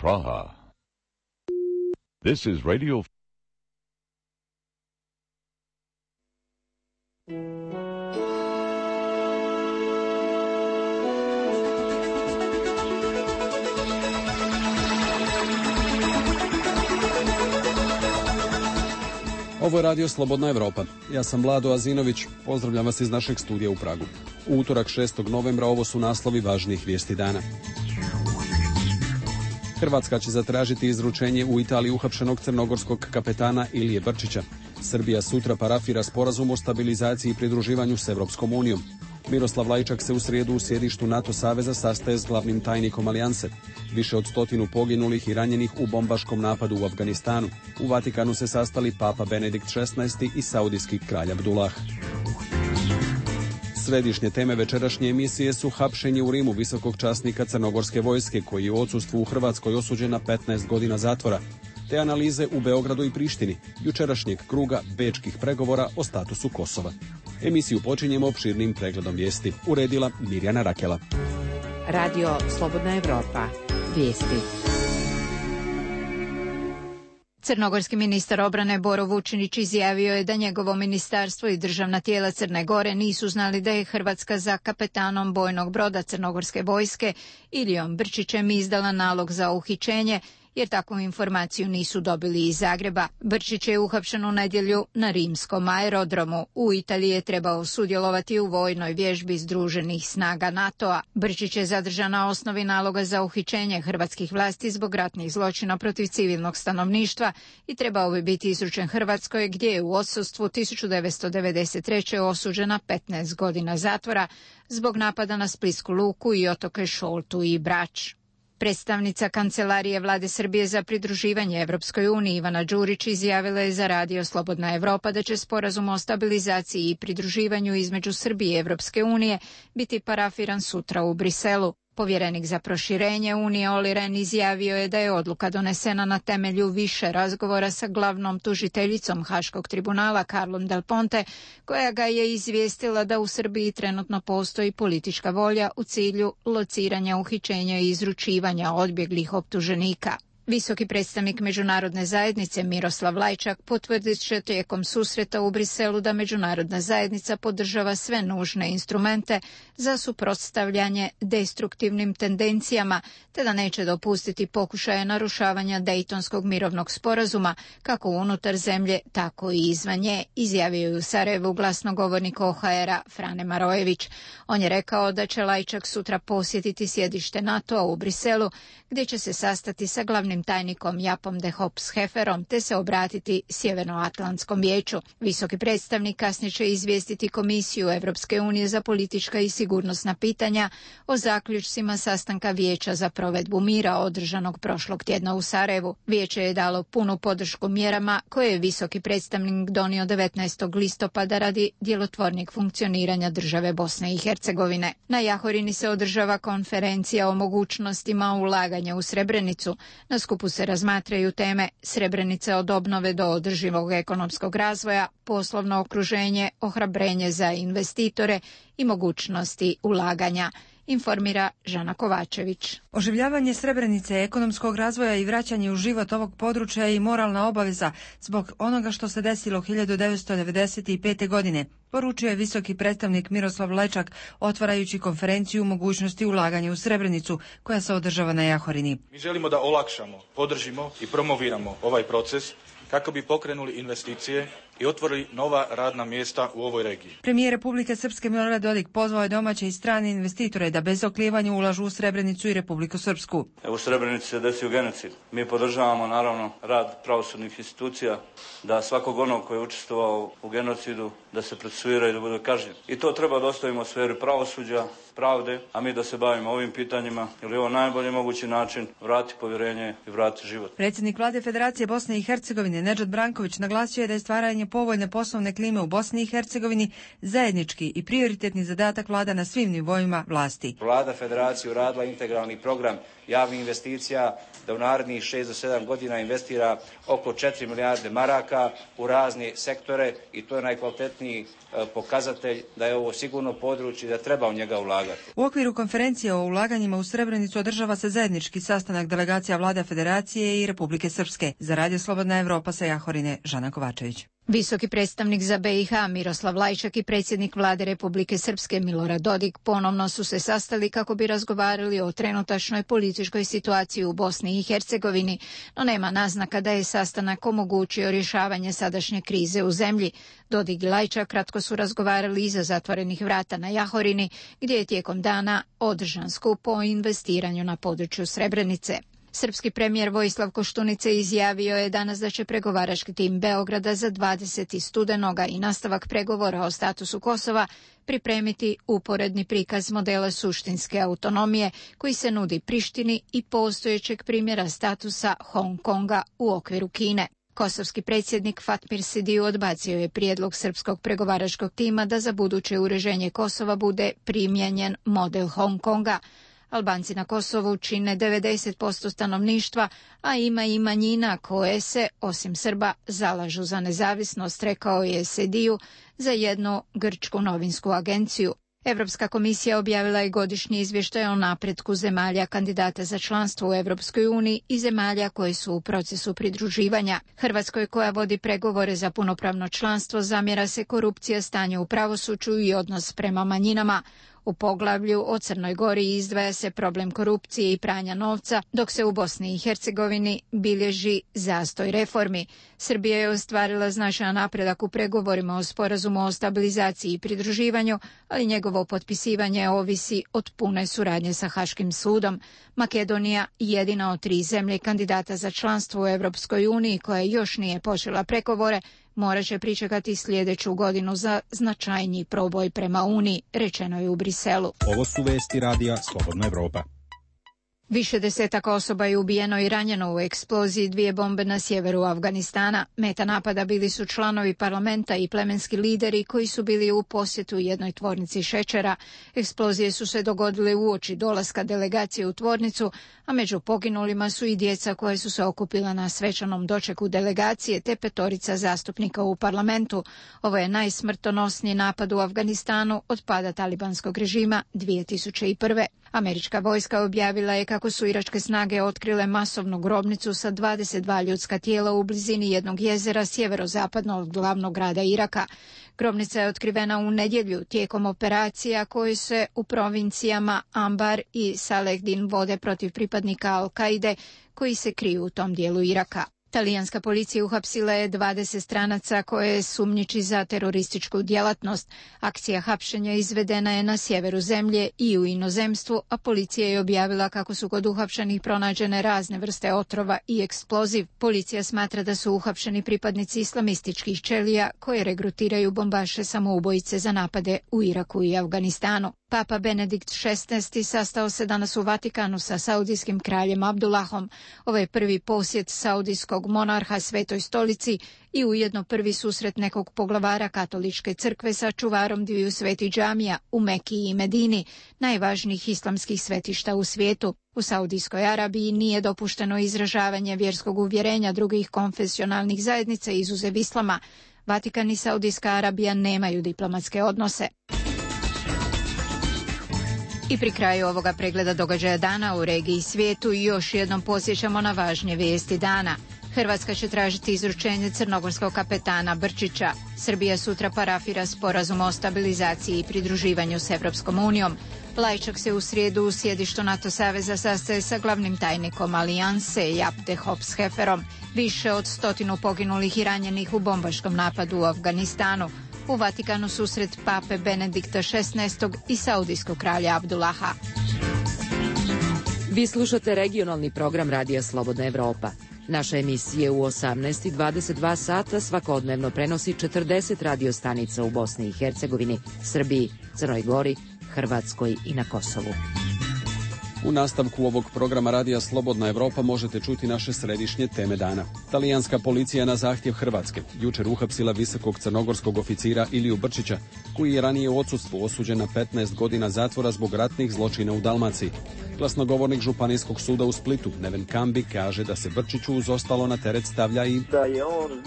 Praha. This is Radio. Ovo je radio Slobodna Evropa. Ja sam Vlado Azinović. Pozdravljam vas iz našeg studija u Pragu. U utorak 6. novembra ovo su naslovi važnijih vijesti dana. Hrvatska će zatražiti izručenje u Italiji uhapšenog crnogorskog kapetana Ilije Brčića. Srbija sutra parafira sporazum o stabilizaciji i pridruživanju s Evropskom unijom. Miroslav Lajčak se u srijedu u sjedištu NATO saveza sastaje s glavnim tajnikom alijanse. Više od 100 poginulih i ranjenih u bombaškom napadu u Afganistanu. U Vatikanu se sastali Papa Benedikt XVI i saudijski kralj Abdullah. Središnje teme večerašnje emisije su hapšenje u Rimu visokog časnika crnogorske vojske koji je u odsustvu u Hrvatskoj osuđen na 15 godina zatvora, te analize u Beogradu i Prištini, jučerašnjeg kruga bečkih pregovora o statusu Kosova. Emisiju počinjemo opširnim pregledom vijesti. Uredila Mirjana Rakela. Radio Slobodna Evropa. Vijesti. Crnogorski ministar obrane Boro Vučinić izjavio je da njegovo ministarstvo i državna tijela Crne Gore nisu znali da je Hrvatska za kapetanom bojnog broda crnogorske vojske Ilijom Brčićem izdala nalog za uhićenje, jer takvu informaciju nisu dobili iz Zagreba. Brčić je uhapšen u nedjelju na rimskom aerodromu. U Italiji je trebao sudjelovati u vojnoj vježbi Združenih snaga NATO-a. Brčić je zadržan na osnovi naloga za uhićenje hrvatskih vlasti zbog ratnih zločina protiv civilnog stanovništva i trebao bi biti izručen Hrvatskoj, gdje je u odsustvu 1993. osuđen na 15 godina zatvora zbog napada na Splitsku luku i otoke Šoltu i Brač. Predstavnica Kancelarije Vlade Srbije za pridruživanje Evropskoj uniji Ivana Đurić izjavila je za radio Slobodna Evropa da će sporazum o stabilizaciji i pridruživanju između Srbije i Evropske unije biti parafiran sutra u Briselu. Povjerenik za proširenje Unije Olli Rehn izjavio je da je odluka donesena na temelju više razgovora sa glavnom tužiteljicom Haškog tribunala Carlom Del Ponte, koja ga je izvijestila da u Srbiji trenutno postoji politička volja u cilju lociranja, uhićenja i izručivanja odbjeglih optuženika. Visoki predstavnik međunarodne zajednice Miroslav Lajčak potvrdit će tijekom susreta u Briselu da međunarodna zajednica podržava sve nužne instrumente za suprotstavljanje destruktivnim tendencijama, te da neće dopustiti pokušaje narušavanja Dejtonskog mirovnog sporazuma, kako unutar zemlje, tako i izvan nje, izjavio je u Sarajevu glasnogovornik OHR-a Frane Marojević. On je rekao da će Lajčak sutra posjetiti sjedište NATO-a u Briselu, gdje će se sastati sa glavnim tajnikom Japom de Hops-Heferom te se obratiti Sjevernoatlantskom vijeću. Visoki predstavnik kasnije će izvijestiti Komisiju Evropske unije za politička i sigurnosna pitanja o zaključcima sastanka Vijeća za provedbu mira održanog prošlog tjedna u Sarajevu. Vijeće je dalo punu podršku mjerama koje je visoki predstavnik donio 19. listopada radi djelotvornijeg funkcioniranja države Bosne i Hercegovine. Na Jahorini se održava konferencija o mogućnostima ulaganja u Srebrenicu. Na skupu se razmatraju teme Srebrenica od obnove do održivog ekonomskog razvoja, poslovno okruženje, ohrabrenje za investitore i mogućnosti ulaganja, informira Žana Kovačević. Oživljavanje Srebrenice, ekonomskog razvoja i vraćanje u život ovog područja je i moralna obaveza zbog onoga što se desilo 1995. godine, poručio je visoki predstavnik Miroslav Lajčak otvarajući konferenciju o mogućnosti ulaganja u Srebrenicu koja se održava na Jahorini. Mi želimo da olakšamo, podržimo i promoviramo ovaj proces kako bi pokrenuli investicije i otvorili nova radna mjesta u ovoj regiji. Premijer Republike Srpske Milorad Dodik pozvao je domaće i strane investitore da bez oklijevanja ulažu u Srebrenicu i Republiku Srpsku. U Srebrenici se desio genocid. Mi podržavamo naravno rad pravosudnih institucija, da svakog onog koji je učestvovao u genocidu da se procesuira i da bude kažnjen. I to treba da ostavimo u sferi pravosuđa, pravde, a mi da se bavimo ovim pitanjima, jer je ovo najbolji mogući način vrati povjerenje i vrati život. Predsjednik Vlade Federacije Bosne i Hercegovine Nedžad Branković naglasio je da je stvaranje povoljne poslovne klime u Bosni i Hercegovini zajednički i prioritetni zadatak vlada na svim nivoima vlasti. Vlada Federacije uradila integralni program javnih investicija, da u narednih 6 do 7 godina investira oko 4 milijarde maraka u razne sektore i to je najkvalitetniji pokazatelj da je ovo sigurno područje da treba u njega ulagati. U okviru konferencije o ulaganjima u Srebrenicu održava se zajednički sastanak delegacija Vlade Federacije i Republike Srpske. Za Radio Slobodna Evropa sa Jahorine, Žana Kovačević. Visoki predstavnik za BiH Miroslav Lajčak i predsjednik Vlade Republike Srpske Milorad Dodik ponovno su se sastali kako bi razgovarali o trenutačnoj političkoj situaciji u Bosni i Hercegovini, no nema naznaka da je sastanak omogućio rješavanje sadašnje krize u zemlji. Dodik i Lajčak kratko su razgovarali iza zatvorenih vrata na Jahorini, gdje je tijekom dana održan skup o investiranju na području Srebrenice. Srpski premijer Vojislav Koštunica izjavio je danas da će pregovarački tim Beograda za 20. studenoga i nastavak pregovora o statusu Kosova pripremiti uporedni prikaz modela suštinske autonomije koji se nudi Prištini i postojećeg primjera statusa Hong Konga u okviru Kine. Kosovski predsjednik Fatmir Sidiu odbacio je prijedlog srpskog pregovaračkog tima da za buduće uređenje Kosova bude primijenjen model Hong Konga. Albanci na Kosovu čine 90% stanovništva, a ima i manjina koje se, osim Srba, zalažu za nezavisnost, rekao je Sediju za jednu grčku novinsku agenciju. Evropska komisija objavila je godišnji izvještaj o napretku zemalja kandidata za članstvo u Evropskoj uniji i zemalja koje su u procesu pridruživanja. Hrvatskoj, koja vodi pregovore za punopravno članstvo, zamjera se korupcija, stanje u pravosuđu i odnos prema manjinama. U poglavlju o Crnoj Gori izdvaja se problem korupcije i pranja novca, dok se u Bosni i Hercegovini bilježi zastoj reformi. Srbija je ostvarila značajan napredak u pregovorima o sporazumu o stabilizaciji i pridruživanju, ali njegovo potpisivanje ovisi od pune suradnje sa Haškim sudom. Makedonija, jedina od 3 zemlje kandidata za članstvo u Europskoj uniji koja još nije počela pregovore, morat će pričekati sljedeću godinu za značajniji proboj prema Uniji, rečeno je u Briselu. Ovo su vesti radija Slobodna Evropa. Više desetaka osoba je ubijeno i ranjeno u eksploziji 2 bombe na sjeveru Afganistana. Meta napada bili su članovi parlamenta i plemenski lideri koji su bili u posjetu jednoj tvornici šećera. Eksplozije su se dogodile uoči dolaska delegacije u tvornicu, a među poginulima su i djeca koje su se okupila na svečanom dočeku delegacije te 5 zastupnika u parlamentu. Ovo je najsmrtonosniji napad u Afganistanu od pada talibanskog režima 2001. Američka vojska objavila je kako su iračke snage otkrile masovnu grobnicu sa 22 ljudska tijela u blizini jednog jezera sjeverozapadno od glavnog grada Iraka. Grobnica je otkrivena u nedjelju tijekom operacija koje se u provincijama Ambar i Salehdin vode protiv pripadnika Al-Kaide koji se kriju u tom dijelu Iraka. Talijanska policija uhapsila je 20 stranaca koje sumnjiči za terorističku djelatnost. Akcija hapšenja izvedena je na sjeveru zemlje i u inozemstvu, a policija je objavila kako su kod uhapšenih pronađene razne vrste otrova i eksploziv. Policija smatra da su uhapšeni pripadnici islamističkih ćelija koje regrutiraju bombaše samoubojice za napade u Iraku i Afganistanu. Papa Benedikt XVI sastao se danas u Vatikanu sa saudijskim kraljem Abdullahom. Ovo je prvi posjet saudijskog monarha Svetoj stolici i ujedno prvi susret nekog poglavara katoličke crkve sa čuvarom 2 svetih džamija u Meki i Medini, najvažnijih islamskih svetišta u svijetu. U Saudijskoj Arabiji nije dopušteno izražavanje vjerskog uvjerenja drugih konfesionalnih zajednica izuzev islama. Vatikan i Saudijska Arabija nemaju diplomatske odnose. I pri kraju ovoga pregleda događaja dana u regiji i svijetu još jednom podsjećamo na važnije vijesti dana. Hrvatska će tražiti izručenje crnogorskog kapetana Brčića. Srbija sutra parafira sporazum o stabilizaciji i pridruživanju s Evropskom unijom. Lajčak se u srijedu u sjedištu NATO saveza sastaje sa glavnim tajnikom alijanse Jaap de Hoop Schefferom. Više od 100 poginulih i ranjenih u bombaškom napadu u Afganistanu. U Vatikanu susret pape Benedikta XVI i saudijskog kralja Abdullaha. Vi slušate regionalni program Radija Slobodna Evropa. Naše emisije u 18:22 sata svakodnevno prenosi 40 radiostanica u Bosni i Hercegovini, Srbiji, Crnoj Gori, Hrvatskoj i na Kosovu. U nastavku ovog programa Radija Slobodna Evropa možete čuti naše središnje teme dana. Talijanska policija na zahtjev Hrvatske jučer uhapsila visokog crnogorskog oficira Iliju Brčića, koji je ranije u odsustvu osuđen na 15 godina zatvora zbog ratnih zločina u Dalmaciji. Glasnogovornik Županijskog suda u Splitu, Neven Kambi, kaže da se Brčiću uz ostalo na teret stavlja i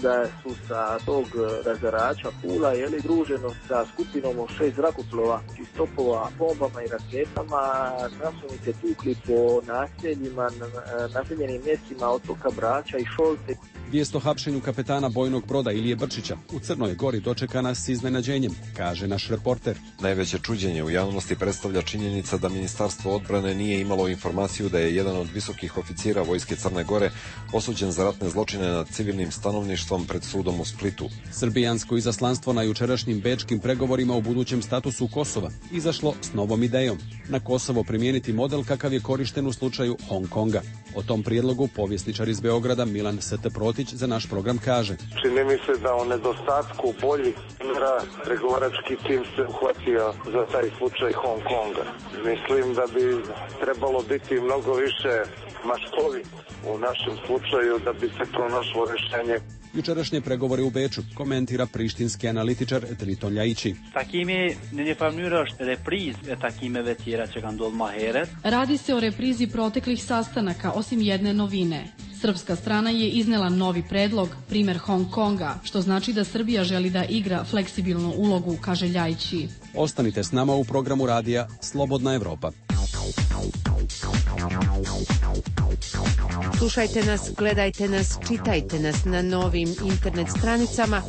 da su sa tog razarača Pula druženo sa skupinom od 6 zrakoplova iz topova, bombama i raketama, nasunice tukli po naseljima, naseljenim mjestima otoka Brača i Šolte. Vijest o hapšenju kapetana bojnog broda Ilije Brčića u Crnoj Gori dočekana s iznenađenjem, kaže naš reporter. Najveće čuđenje u javnosti predstavlja činjenica da Ministarstvo odbrane nije imalo informaciju da je jedan od visokih oficira Vojske Crne Gore osuđen za ratne zločine nad civilnim stanovništvom pred sudom u Splitu. Srbijansko izaslanstvo na jučerašnjim bečkim pregovorima o budućem statusu Kosova izašlo s novom idejom. Na Kosovo primijeniti model kakav je korišten u slučaju Hong Konga. O tom prijedlogu povjesničar iz Beograda Milan St. Protić za naš program kaže. Čini mi se da o nedostatku boljih primjera pregovarački tim se uhvatio za taj slučaj Hong Konga. Mislim da bi trebalo biti mnogo više maštovit u našem slučaju da bi se pronašlo rješenje. Jučerašnje pregovore u Beču komentira prištinski analitičar Triton Ljajići. Radi se o reprizi proteklih sastanaka, osim jedne novine. Srpska strana je iznela novi predlog, primjer Hong Konga, što znači da Srbija želi da igra fleksibilnu ulogu, kaže Ljajići. Ostanite s nama u programu radija Slobodna Evropa. Slušajte nas, gledajte nas, čitajte nas na novim internet stranicama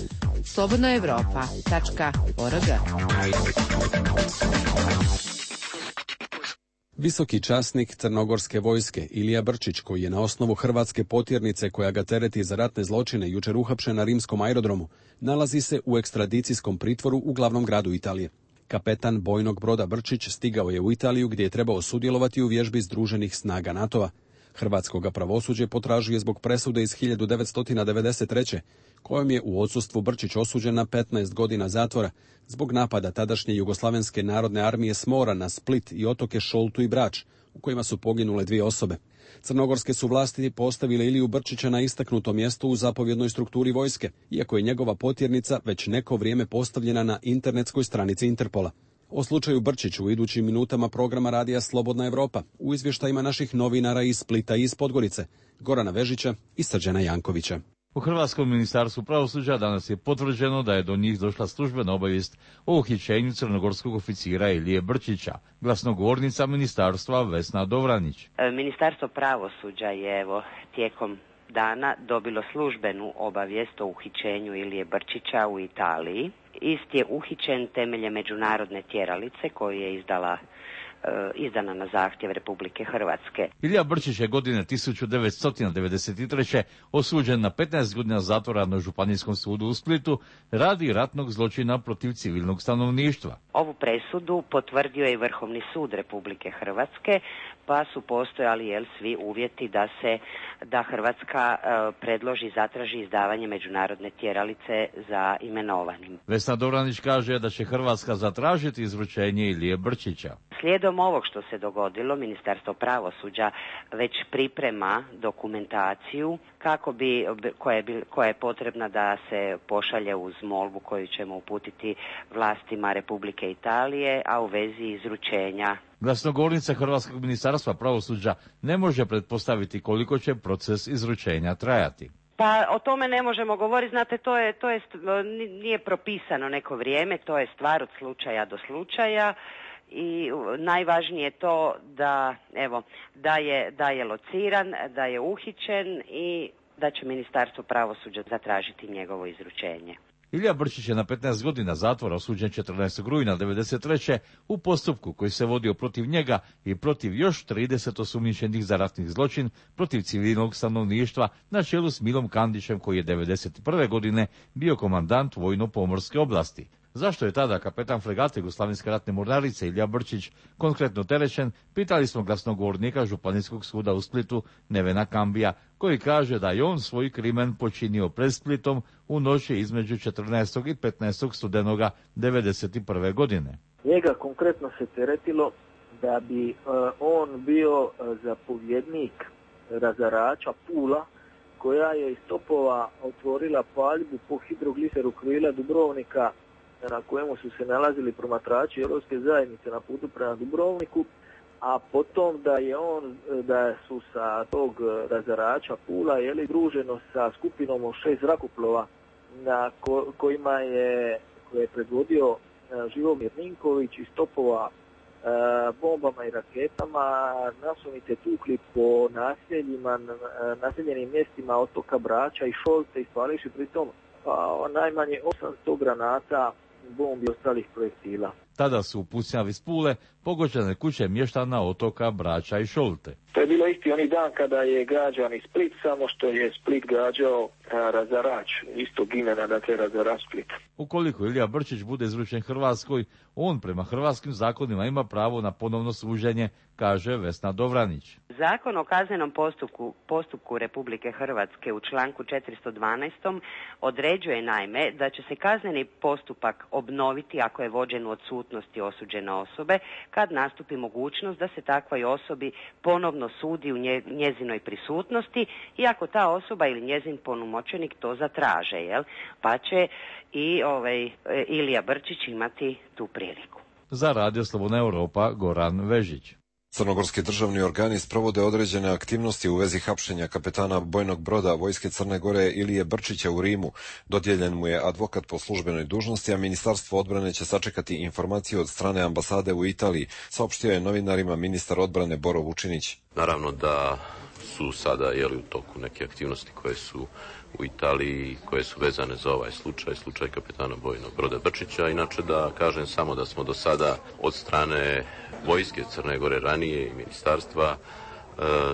slobodnaevropa.org. Visoki časnik Crnogorske vojske Ilija Brčić, koji je na osnovu hrvatske potjernice koja ga tereti za ratne zločine jučer uhapšen na rimskom aerodromu, nalazi se u ekstradicijskom pritvoru u glavnom gradu Italije. Kapetan bojnog broda Brčić stigao je u Italiju gdje je trebao sudjelovati u vježbi Združenih snaga NATO-a. Hrvatskoga pravosuđe potražuje zbog presude iz 1993. kojom je u odsustvu Brčić osuđen na 15 godina zatvora zbog napada tadašnje Jugoslavenske narodne armije s mora na Split i otoke Šoltu i Brač, u kojima su poginule 2 osobe. Crnogorske su vlasti postavile Iliju Brčića na istaknuto mjesto u zapovjednoj strukturi vojske, iako je njegova potjernica već neko vrijeme postavljena na internetskoj stranici Interpola. O slučaju Brčić u idućim minutama programa Radija Slobodna Evropa u izvještajima naših novinara iz Splita i iz Podgorice, Gorana Vežića i Srđana Jankovića. U Hrvatskom ministarstvu pravosuđa danas je potvrđeno da je do njih došla službena obavijest o uhićenju crnogorskog oficira Ilije Brčića. Glasnogovornica ministarstva Vesna Dovranić. Ministarstvo pravosuđa je tijekom dana dobilo službenu obavijest o uhićenju Ilije Brčića u Italiji. Ist je uhićen temeljem međunarodne tjeralice koju je izdana na zahtjev Republike Hrvatske. Ilija Brčić je godine 1993. osuđen na 15 godina zatvora na Županijskom sudu u Splitu radi ratnog zločina protiv civilnog stanovništva. Ovu presudu potvrdio je Vrhovni sud Republike Hrvatske, pa su postojali svi uvjeti da Hrvatska predloži, zatraži izdavanje međunarodne tjeralice za imenovanim. Vesna Dovranić kaže da će Hrvatska zatražiti izručenje Ilije Brčića. Slijedom ovog što se dogodilo, Ministarstvo pravosuđa već priprema dokumentaciju koja je potrebna da se pošalje uz molbu koju ćemo uputiti vlastima Republike Italije, a u vezi izručenja. Glasnogovornica Hrvatskog ministarstva pravosuđa ne može pretpostaviti koliko će proces izručenja trajati. Pa o tome ne možemo govoriti, znate, nije propisano neko vrijeme, to je stvar od slučaja do slučaja. I najvažnije je to da je lociran, da je uhićen i da će Ministarstvo pravosuđa zatražiti njegovo izručenje. Ilija Brčić je na 15 godina zatvora osuđen 14. rujna 1993. u postupku koji se vodio protiv njega i protiv još 30 osumnjičenih za ratni zločin protiv civilnog stanovništva na čelu s Milom Kandićem, koji je 1991. godine bio komandant vojno-pomorske oblasti. Zašto je tada kapetan fregate Jugoslavenske ratne mornarice Ilija Brčić konkretno terećen, pitali smo glasnogovornika Županijskog suda u Splitu Nevena Kambija, koji kaže da je on svoj krimen počinio pred Splitom u noći između 14. i 15. studenoga 1991. godine. Njega konkretno se teretilo da bi on bio zapovjednik razarača Pula, koja je iz topova otvorila paljbu po hidrogliseru krila Dubrovnika, na kojemu su se nalazili promatrači Europske zajednice na putu prema Dubrovniku, a potom da su sa tog razarača Pula druženo sa skupinom od 6 zrakoplova koje je predvodio Živomir Ninković iz topova bombama i raketama nasumice tukli po naseljenim mjestima otoka Brača i Šolte, ispališi pritom najmanje 800 granata, bombi i ostalih projektila. Tada su u pucnjavi s Pule pogođene kuće mještana otoka Brača i Šolte. To je bilo isti oni dan kada je građan i Split, samo što je Split gađao razarač istog imena, dakle razarač Split. Ukoliko Ilija Brčić bude izručen Hrvatskoj, on prema hrvatskim zakonima ima pravo na ponovno suđenje, kaže Vesna Dovranić. Zakon o kaznenom postupku Republike Hrvatske u članku 412. određuje naime da će se kazneni postupak obnoviti ako je vođen u odsutnosti osuđene osobe, kad nastupi mogućnost da se takvoj osobi ponovno sudi u njezinoj prisutnosti i ako ta osoba ili njezin punomoćenik to zatraže, pa će i Ilija Brčić imati tu priliku. Za Radio Slobodna Europa, Goran Vežić. Crnogorski državni organi sprovode određene aktivnosti u vezi hapšenja kapetana bojnog broda Vojske Crne Gore Ilije Brčića u Rimu. Dodijeljen mu je advokat po službenoj dužnosti, a Ministarstvo odbrane će sačekati informaciju od strane ambasade u Italiji, saopštio je novinarima ministar odbrane Boro Vučinić. Naravno da su sada u toku neke aktivnosti koje su u Italiji, koje su vezane za ovaj slučaj kapetana bojnog broda Brčića. Inače da kažem samo da smo do sada od strane Vojske Crne Gore ranije i ministarstva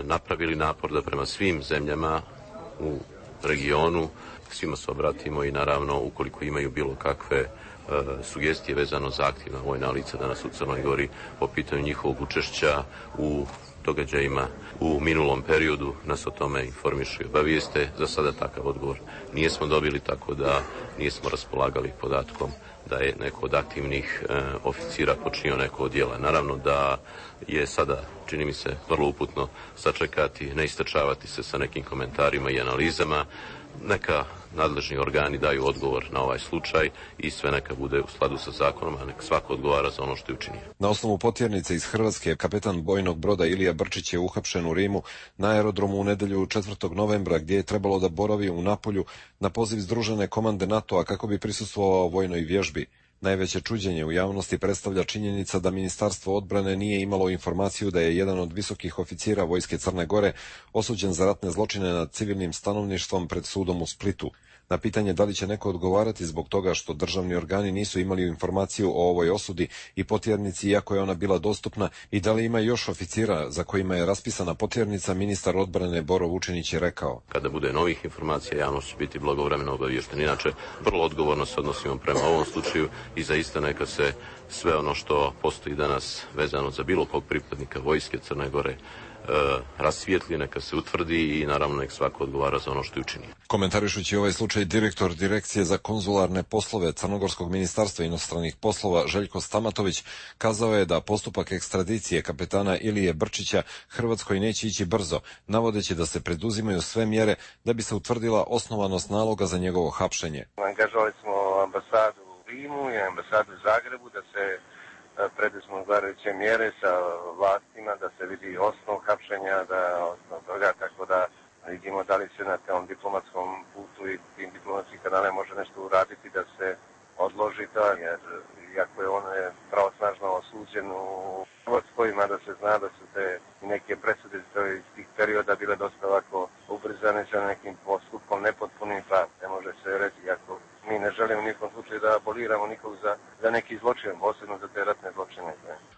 napravili napor da prema svim zemljama u regionu svima se obratimo i naravno ukoliko imaju bilo kakve sugestije vezano za aktivna vojna lica danas u Crnoj Gori po pitanju njihovog učešća u događajima u minulom periodu, nas o tome informišu i obavijeste. Za sada takav odgovor nijesmo dobili, tako da nismo raspolagali podatkom da je neko od aktivnih oficira počinio neko od djela. Naravno da je sada, čini mi se, vrlo uputno sačekati, ne istračavati se sa nekim komentarima i analizama. Neka nadležni organi daju odgovor na ovaj slučaj i sve neka bude u skladu sa zakonom, a neka svako odgovara za ono što je učinio. Na osnovu potjernice iz Hrvatske, kapetan bojnog broda Ilija Brčić je uhapšen u Rimu na aerodromu u nedjelju 4. novembra, gdje je trebalo da boravi u Napolju na poziv Združene komande NATO-a kako bi prisustvovao vojnoj vježbi. Najveće čuđenje u javnosti predstavlja činjenica da Ministarstvo odbrane nije imalo informaciju da je jedan od visokih oficira Vojske Crne Gore osuđen za ratne zločine nad civilnim stanovništvom pred sudom u Splitu. Na pitanje da li će neko odgovarati zbog toga što državni organi nisu imali informaciju o ovoj osudi i potjernici iako je ona bila dostupna i da li ima još oficira za kojima je raspisana potjernica, ministar odbrane Boro Vučinić je rekao: Kada bude novih informacija, javnost će biti blagovremeno obaviještena. Inače, vrlo odgovorno se odnosimo prema ovom slučaju i zaista neka se sve ono što postoji danas vezano za bilo kog pripadnika Vojske Crne Gore rasvijetli, neka se utvrdi i naravno nek svako odgovara za ono što je učinio. Komentarišući ovaj slučaj, direktor Direkcije za konzularne poslove Crnogorskog ministarstva inostranih poslova Željko Stamatović kazao je da postupak ekstradicije kapetana Ilije Brčića Hrvatskoj neće ići brzo, navodeći da se preduzimaju sve mjere da bi se utvrdila osnovanost naloga za njegovo hapšenje. Angažovali smo ambasadu u Rimu i ambasadu u Zagrebu da se preduzmu odgovarajuće mjere sa vlastima, da se vidi osnov hapšenja, osnov toga, tako da vidimo da li se na tom diplomatskom putu i tim diplomatskim kanalima može nešto uraditi da se odloži to, jer iako je on pravosnažno osuđen u Hrvatskoj, da se zna da su te neke presude iz tih perioda bile dosta ovako ubrzane sa nekim postupkom nepotpunim, pa ne može se reći, iako mi ne želimo u nikom slučaju da aboliramo nikog za neki zločin, posebno za te ratne zločine.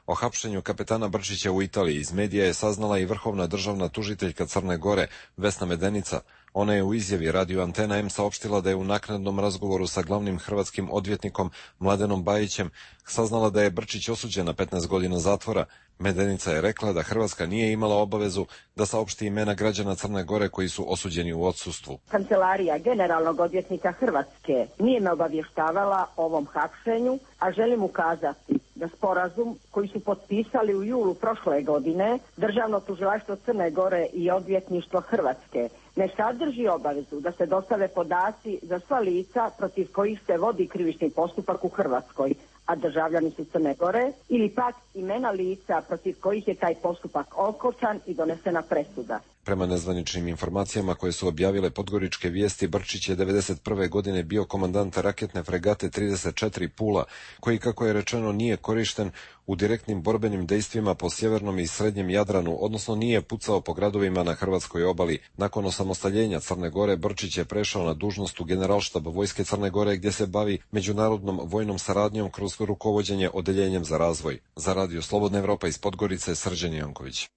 O hapšenju kapetana Brčića u Italiji iz medija je saznala i vrhovna državna tužiteljka Crne Gore Vesna Medenica. Ona je u izjavi Radio Antena M saopštila da je u naknadnom razgovoru sa glavnim hrvatskim odvjetnikom Mladenom Bajićem saznala da je Brčić osuđen na 15 godina zatvora. Medenica je rekla da Hrvatska nije imala obavezu da saopšti imena građana Crne Gore koji su osuđeni u odsustvu. Kancelarija generalnog odvjetnika Hrvatske nije me obavještavala o ovom hapšenju, a želim ukazati da da sporazum koji su potpisali u julu prošle godine Državno tužilaštvo Crne Gore i odvjetništvo Hrvatske ne sadrži obavezu da se dostave podaci za sva lica protiv kojih se vodi krivični postupak u Hrvatskoj, a državljani su Crne Gore, ili pak imena lica protiv kojih je taj postupak okončan i donesena presuda. Prema nezvaničnim informacijama koje su objavile Podgoričke vijesti, Brčić je 1991. godine bio komandant raketne fregate 34 Pula, koji, kako je rečeno, nije korišten u direktnim borbenim dejstvima po sjevernom i srednjem Jadranu, odnosno nije pucao po gradovima na hrvatskoj obali. Nakon osamostaljenja Crne Gore, Brčić je prešao na dužnost u Generalštab Vojske Crne Gore, gdje se bavi međunarodnom vojnom saradnjom kroz rukovođenje odeljenjem za razvoj. Za Radio Slobodna Evropa iz Podgorice, Srđan Janković.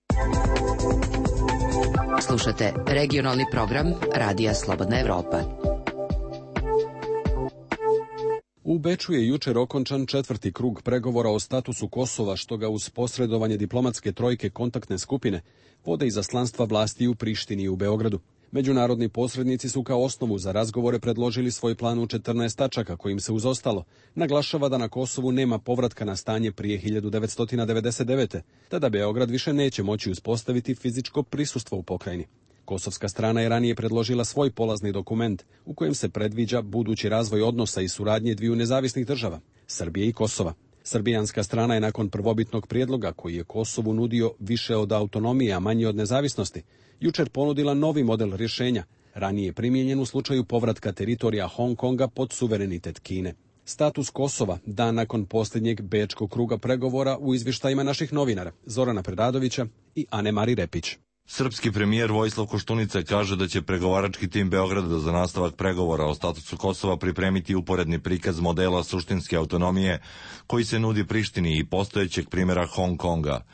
Slušate regionalni program Radija Slobodna Evropa. U Beču je jučer okončan 4. krug pregovora o statusu Kosova, što ga uz posredovanje diplomatske trojke kontaktne skupine vode izaslanstva vlasti u Prištini i u Beogradu. Međunarodni posrednici su kao osnovu za razgovore predložili svoj plan u 14 tačaka, kojim se uz ostalo naglašava da na Kosovu nema povratka na stanje prije 1999. te da Beograd više neće moći uspostaviti fizičko prisustvo u pokrajini. Kosovska strana je ranije predložila svoj polazni dokument u kojem se predviđa budući razvoj odnosa i suradnje dviju nezavisnih država, Srbije i Kosova. Srbijanska strana je nakon prvobitnog prijedloga, koji je Kosovu nudio više od autonomije, a manje od nezavisnosti, jučer ponudila novi model rješenja, ranije primijenjen u slučaju povratka teritorija Hong Konga pod suverenitet Kine. Status Kosova dan nakon posljednjeg bečkog kruga pregovora u izvještajima naših novinara Zorana Predadovića i Ane Mari Repić. Srpski premijer Vojislav Koštunica kaže da će pregovarački tim Beograda za nastavak pregovora o statusu Kosova pripremiti uporedni prikaz modela suštinske autonomije koji se nudi Prištini i postojećeg primjera Hong Konga.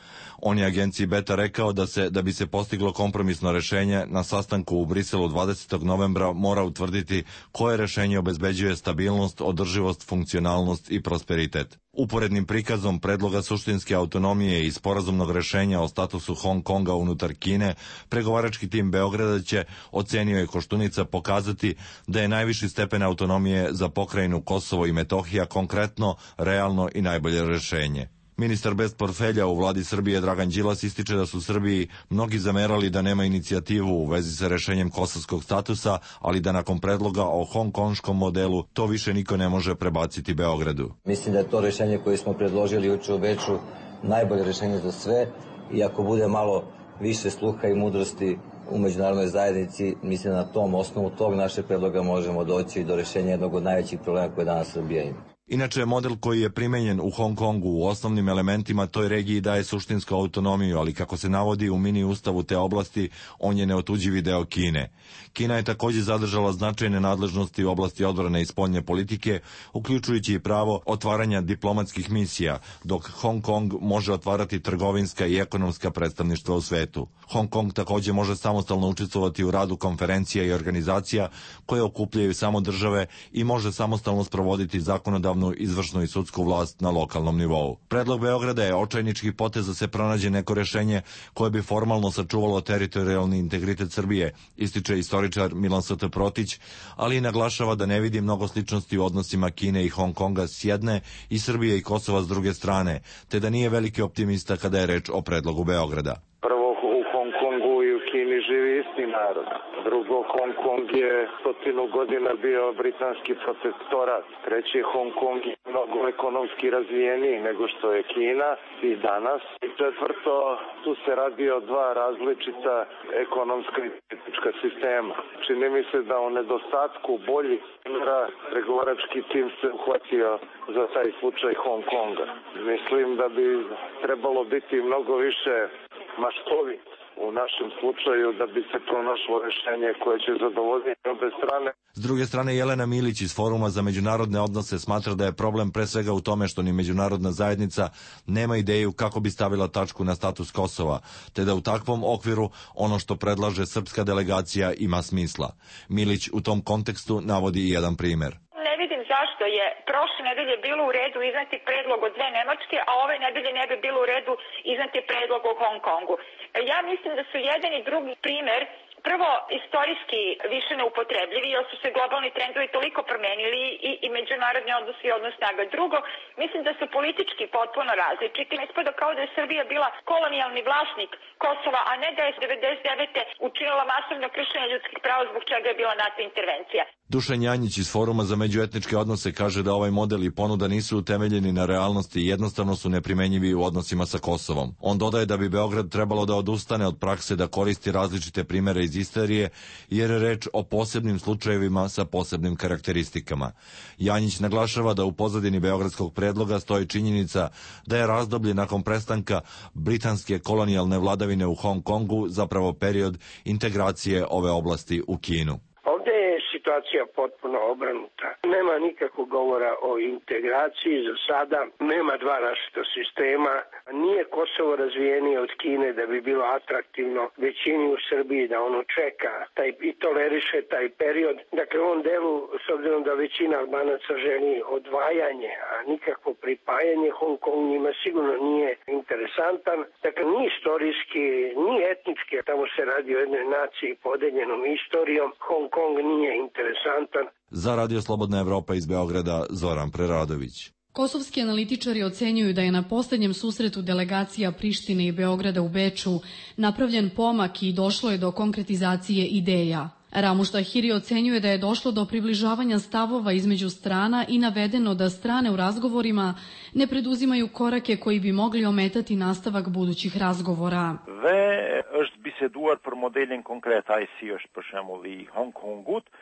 On je agenciji Beta rekao da bi se postiglo kompromisno rešenje na sastanku u Briselu 20. novembra mora utvrditi koje rešenje obezbeđuje stabilnost, održivost, funkcionalnost i prosperitet. Uporednim prikazom predloga suštinske autonomije i sporazumnog rešenja o statusu Hong Konga unutar Kine, pregovarački tim Beograda će, ocenio je Koštunica, pokazati da je najviši stepen autonomije za pokrajinu Kosovo i Metohija konkretno, realno i najbolje rešenje. Ministar bez portfelja u vladi Srbije Dragan Đilas ističe da su Srbiji mnogi zamerali da nema inicijativu u vezi sa rešenjem kosovskog statusa, ali da nakon predloga o hongkonškom modelu to više niko ne može prebaciti Beogradu. Mislim da je to rešenje koje smo predložili juče u Beču najbolje rešenje za sve i ako bude malo više sluha i mudrosti u međunarodnoj zajednici, mislim da na tom osnovu tog našeg predloga možemo doći do rešenja jednog od najvećih problema koje danas Srbija ima. Inače, model koji je primenjen u Hong Kongu u osnovnim elementima toj regiji daje suštinsku autonomiju, ali kako se navodi u mini ustavu te oblasti, on je neotuđivi deo Kine. Kina je također zadržala značajne nadležnosti u oblasti odbrane i spoljne politike, uključujući i pravo otvaranja diplomatskih misija, dok Hong Kong može otvarati trgovinska i ekonomska predstavništva u svetu. Hong Kong također može samostalno učestvovati u radu konferencija i organizacija koje okupljaju samo države i može samostalno sprovoditi zakonodavnu, izvršnu i sudsku vlast na lokalnom nivou. Predlog Beograda je očajnički potez da se pronađe neko rešenje koje bi formalno sačuvalo teritorijalni integritet Srbije, ističe istoričar Milan St. Protić, ali i naglašava da ne vidi mnogo sličnosti u odnosima Kine i Hong Konga s jedne i Srbije i Kosova s druge strane, te da nije veliki optimista kada je reč o predlogu Beograda. Prvo, u Hong Kongu i u Kini živi isti narod. Drugo, Hong Kong je 100 godina bio britanski protektorat. Treći, Hong Kong je mnogo ekonomski razvijeniji nego što je Kina i danas. I četvrto, tu se radi o dva različita ekonomska i politička sistema. Čini mi se da u nedostatku boljih primjera pregovarački tim se uhvatio za taj slučaj Hong Konga. Mislim da bi trebalo biti mnogo više maštovit u našem slučaju da bi se pronašlo rešenje koje će zadovoljiti obe strane. S druge strane, Jelena Milić iz Foruma za međunarodne odnose smatra da je problem pre svega u tome što ni međunarodna zajednica nema ideju kako bi stavila tačku na status Kosova, te da u takvom okviru ono što predlaže srpska delegacija ima smisla. Milić u tom kontekstu navodi i jedan primer. Zašto je prošle nedelje bilo u redu izneti predlog od dve Nemačke, a ove nedelje ne bi bilo u redu izneti predlog o Hong Kongu. Ja mislim da su jedan i drugi primer prvo istorijski više neupotrebljivi, jer su se globalni trendovi toliko promenili i međunarodni odnosi i odnos snaga. Drugo, mislim da su politički potpuno različiti. Ispada kao da je Srbija bila kolonijalni vlasnik Kosova, a ne da je 99. učinila masovno kršenje ljudskih prava zbog čega je bila NATO intervencija. Dušan Janjić iz Foruma za međuetničke odnose kaže da ovaj model i ponuda nisu utemeljeni na realnosti i jednostavno su neprimenjivi u odnosima sa Kosovom. On dodaje da bi Beograd trebalo da odustane od prakse da koristi različite primere iz istorije, jer je reč o posebnim slučajevima sa posebnim karakteristikama. Janjić naglašava da u pozadini beogradskog predloga stoji činjenica da je razdoblje nakon prestanka britanske kolonijalne vladavine u Hong Kongu zapravo period integracije ove oblasti u Kinu. Situacija potpuno obrnuta. Nema nikakvog govora o integraciji za sada, nema dva različita sistema, nije Kosovo razvijenije od Kine da bi bilo atraktivno većini u Srbiji da ono čeka i toleriše taj period. Dakle, u ovom delu, s obzirom da većina Albanaca želi odvajanje, a nikakvo pripajanje, Hong Kong njima sigurno nije interesantan. Dakle, ni istorijski, ni etnički, tamo se radi o jednoj naciji podeljenom istorijom, Hong Kong nije interesantan. Za Radio Slobodna Evropa iz Beograda, Zoran Preradović. Kosovski analitičari ocenjuju da je na posljednjem susretu delegacija Prištine i Beograda u Beču napravljen pomak i došlo je do konkretizacije ideja. Ramuš Tahiri ocenjuje da je došlo do približavanja stavova između strana i navedeno da strane u razgovorima ne preduzimaju korake koji bi mogli ometati nastavak budućih razgovora.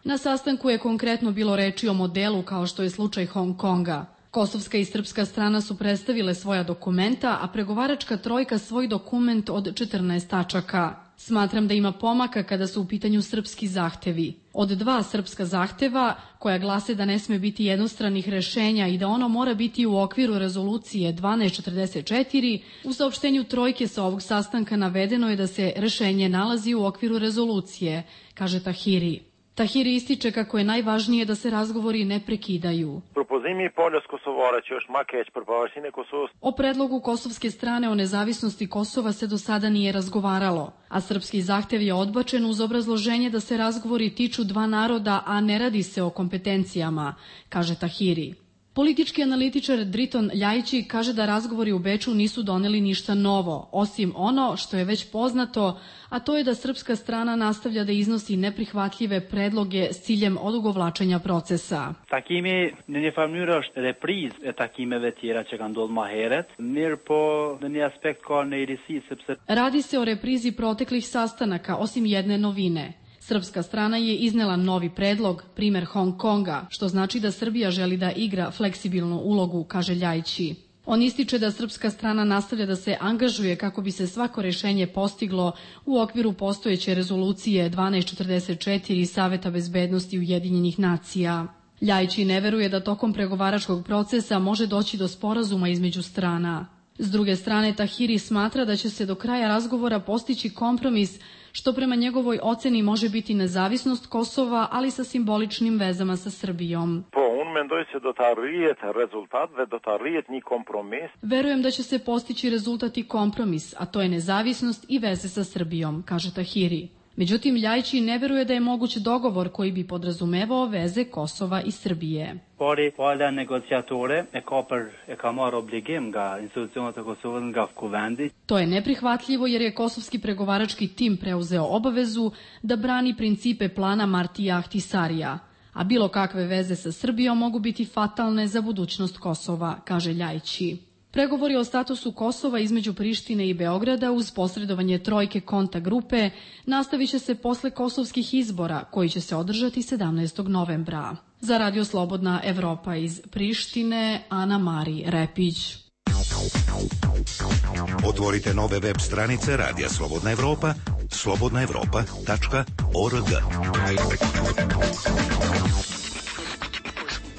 Na sastanku je konkretno bilo reči o modelu kao što je slučaj Hong Konga. Kosovska i srpska strana su predstavile svoja dokumenta, a pregovaračka trojka svoj dokument od 14 tačaka. Smatram da ima pomaka kada su u pitanju srpski zahtevi. Od 2 srpska zahteva, koja glase da ne sme biti jednostranih rešenja i da ono mora biti u okviru rezolucije 1244, u saopštenju trojke sa ovog sastanka navedeno je da se rešenje nalazi u okviru rezolucije, kaže Tahiri. Tahiri ističe kako je najvažnije da se razgovori ne prekidaju. O predlogu kosovske strane o nezavisnosti Kosova se do sada nije razgovaralo, a srpski zahtev je odbačen uz obrazloženje da se razgovori tiču 2 naroda, a ne radi se o kompetencijama, kaže Tahiri. Politički analitičar Driton Ljajići kaže da razgovori u Beču nisu doneli ništa novo, osim ono što je već poznato, a to je da srpska strana nastavlja da iznosi neprihvatljive predloge s ciljem odugovlačenja procesa. Takimi në një farë është reprizë e takimeve tjera që kanë ndodhur më herët, mirë po në një aspekt ka nejrisi sepse Radi se o reprizi proteklih sastanaka, osim jedne novine. Srpska strana je iznela novi predlog, primer Hong Konga, što znači da Srbija želi da igra fleksibilnu ulogu, kaže Ljajići. On ističe da srpska strana nastavlja da se angažuje kako bi se svako rešenje postiglo u okviru postojeće rezolucije 1244 Saveta bezbednosti Ujedinjenih nacija. Ljajići ne veruje da tokom pregovaračkog procesa može doći do sporazuma između strana. S druge strane, Tahiri smatra da će se do kraja razgovora postići kompromis, što prema njegovoj oceni može biti nezavisnost Kosova, ali sa simboličnim vezama sa Srbijom. Verujem da će se postići rezultat i kompromis, a to je nezavisnost i veze sa Srbijom, kaže Tahiri. Međutim, Ljajići ne veruje da je moguć dogovor koji bi podrazumevao veze Kosova i Srbije. Pala negociatore e ka marrë obligim nga institucionet e Kosovës, nga kuvendi. To je neprihvatljivo jer je kosovski pregovarački tim preuzeo obavezu da brani principe plana Martija Ahtisarija, a bilo kakve veze sa Srbijom mogu biti fatalne za budućnost Kosova, kaže Ljajići. Pregovori o statusu Kosova između Prištine i Beograda uz posredovanje trojke konta grupe nastavit će se posle kosovskih izbora koji će se održati 17. novembra. Za Radio Slobodna Evropa iz Prištine, Ana Mari Repić. Otvorite nove web stranice Radija Slobodna Evropa, slobodnaevropa.org.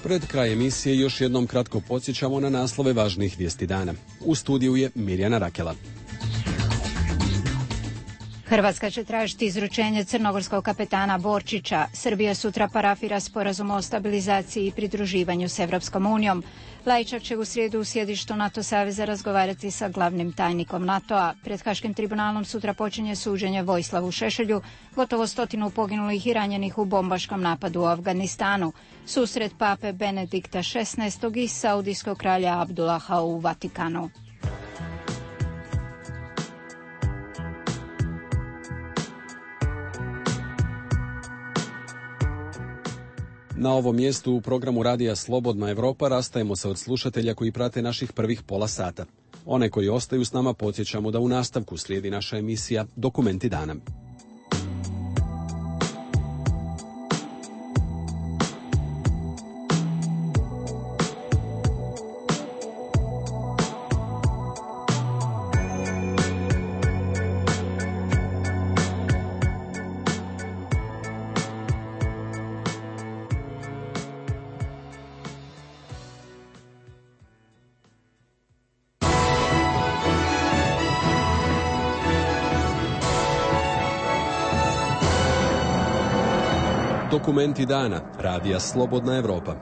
Pred kraj emisije još jednom kratko podsjećamo na naslove važnih vijesti dana. U studiju je Mirjana Rakela. Hrvatska će tražiti izručenje crnogorskog kapetana Borčića. Srbija sutra parafira sporazum o stabilizaciji i pridruživanju s Evropskom unijom. Lajčak će u srijedu u sjedištu NATO saveza razgovarati sa glavnim tajnikom NATO-a. Pred Haškim tribunalom sutra počinje suđenje Vojislavu Šešelju, gotovo 100 poginulih i ranjenih u bombaškom napadu u Afganistanu. Susret pape Benedikta XVI i saudijskog kralja Abdullaha u Vatikanu. Na ovom mjestu u programu Radija Slobodna Evropa rastajemo se od slušatelja koji prate naših prvih pola sata. One koji ostaju s nama podsjećamo da u nastavku slijedi naša emisija Dokumenti dana. Dokumenti dana, Radija Slobodna Evropa.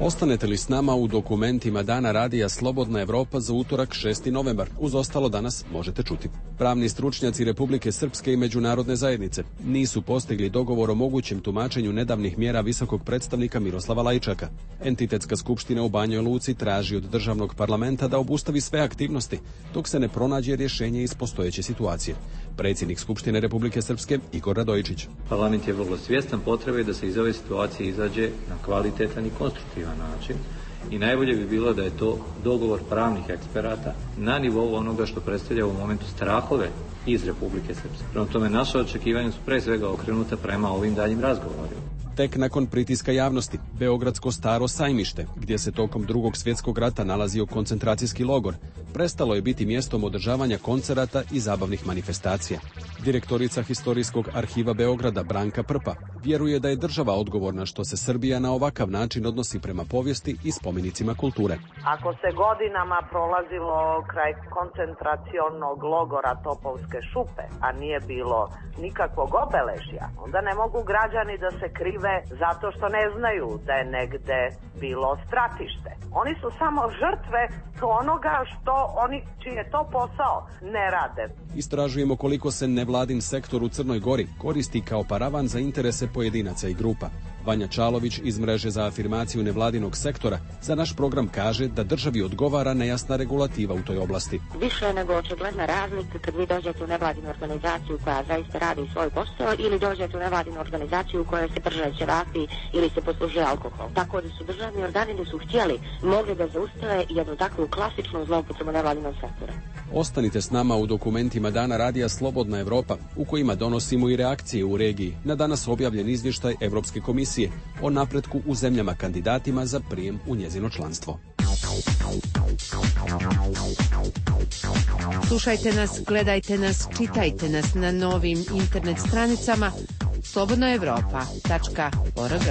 Ostanete li s nama u dokumentima dana Radija Slobodna Evropa za utorak 6. novembar? Uz ostalo danas možete čuti. Pravni stručnjaci Republike Srpske i međunarodne zajednice nisu postigli dogovor o mogućem tumačenju nedavnih mjera visokog predstavnika Miroslava Lajčaka. Entitetska skupština u Banjoj Luci traži od državnog parlamenta da obustavi sve aktivnosti dok se ne pronađe rješenje iz postojeće situacije. Predsjednik Skupštine Republike Srpske Igor Radojičić. Parlament je vrlo svjestan potrebe da se iz ove situacije izađe na kvalitetan i konstruktivan način i najbolje bi bilo da je to dogovor pravnih eksperata na nivou onoga što predstavlja u momentu strahove iz Republike Srpske. Prema tome, naše očekivanja su pre svega okrenuta prema ovim daljim razgovorima. Tek nakon pritiska javnosti, Beogradsko staro sajmište, gdje se tokom Drugog svjetskog rata nalazio koncentracijski logor, prestalo je biti mjestom održavanja koncerata i zabavnih manifestacija. Direktorica Historijskog arhiva Beograda Branka Prpa vjeruje da je država odgovorna što se Srbija na ovakav način odnosi prema povijesti i spomenicima kulture. Ako se godinama prolazilo kraj koncentracionog logora Topovske šupe, a nije bilo nikakvog obeležja, onda ne mogu građani da se krive zato što ne znaju da je negde bilo stratište. Oni su samo žrtve onoga što oni, čiji je to posao, ne rade. Istražujemo koliko se nevladin sektor u Crnoj Gori koristi kao paravan za interese pojedinaca i grupa. Vanja Čalović iz mreže za afirmaciju nevladinog sektora za naš program kaže da državi odgovara nejasna regulativa u toj oblasti. Više je nego očigledna razlika kad vi dođete u nevladinu organizaciju koja zaista radi svoj posao ili dođete u nevladinu organizaciju u kojoj se prže ćevapi ili se poslužuje alkohol. Tako da su državni organi da su htjeli mogli da zaustave jednu takvu klasičnu zloupotrebu nevladinog sektora. Ostanite s nama u dokumentima dana Radija Slobodna Evropa u kojima donosimo i reakcije u regiji na danas objavljen izvještaj Evropske komisije o napretku u zemljama kandidatima za prijem u njezino članstvo. Slušajte nas, gledajte nas, čitajte nas na novim internet stranicama slobodnoevropa.org.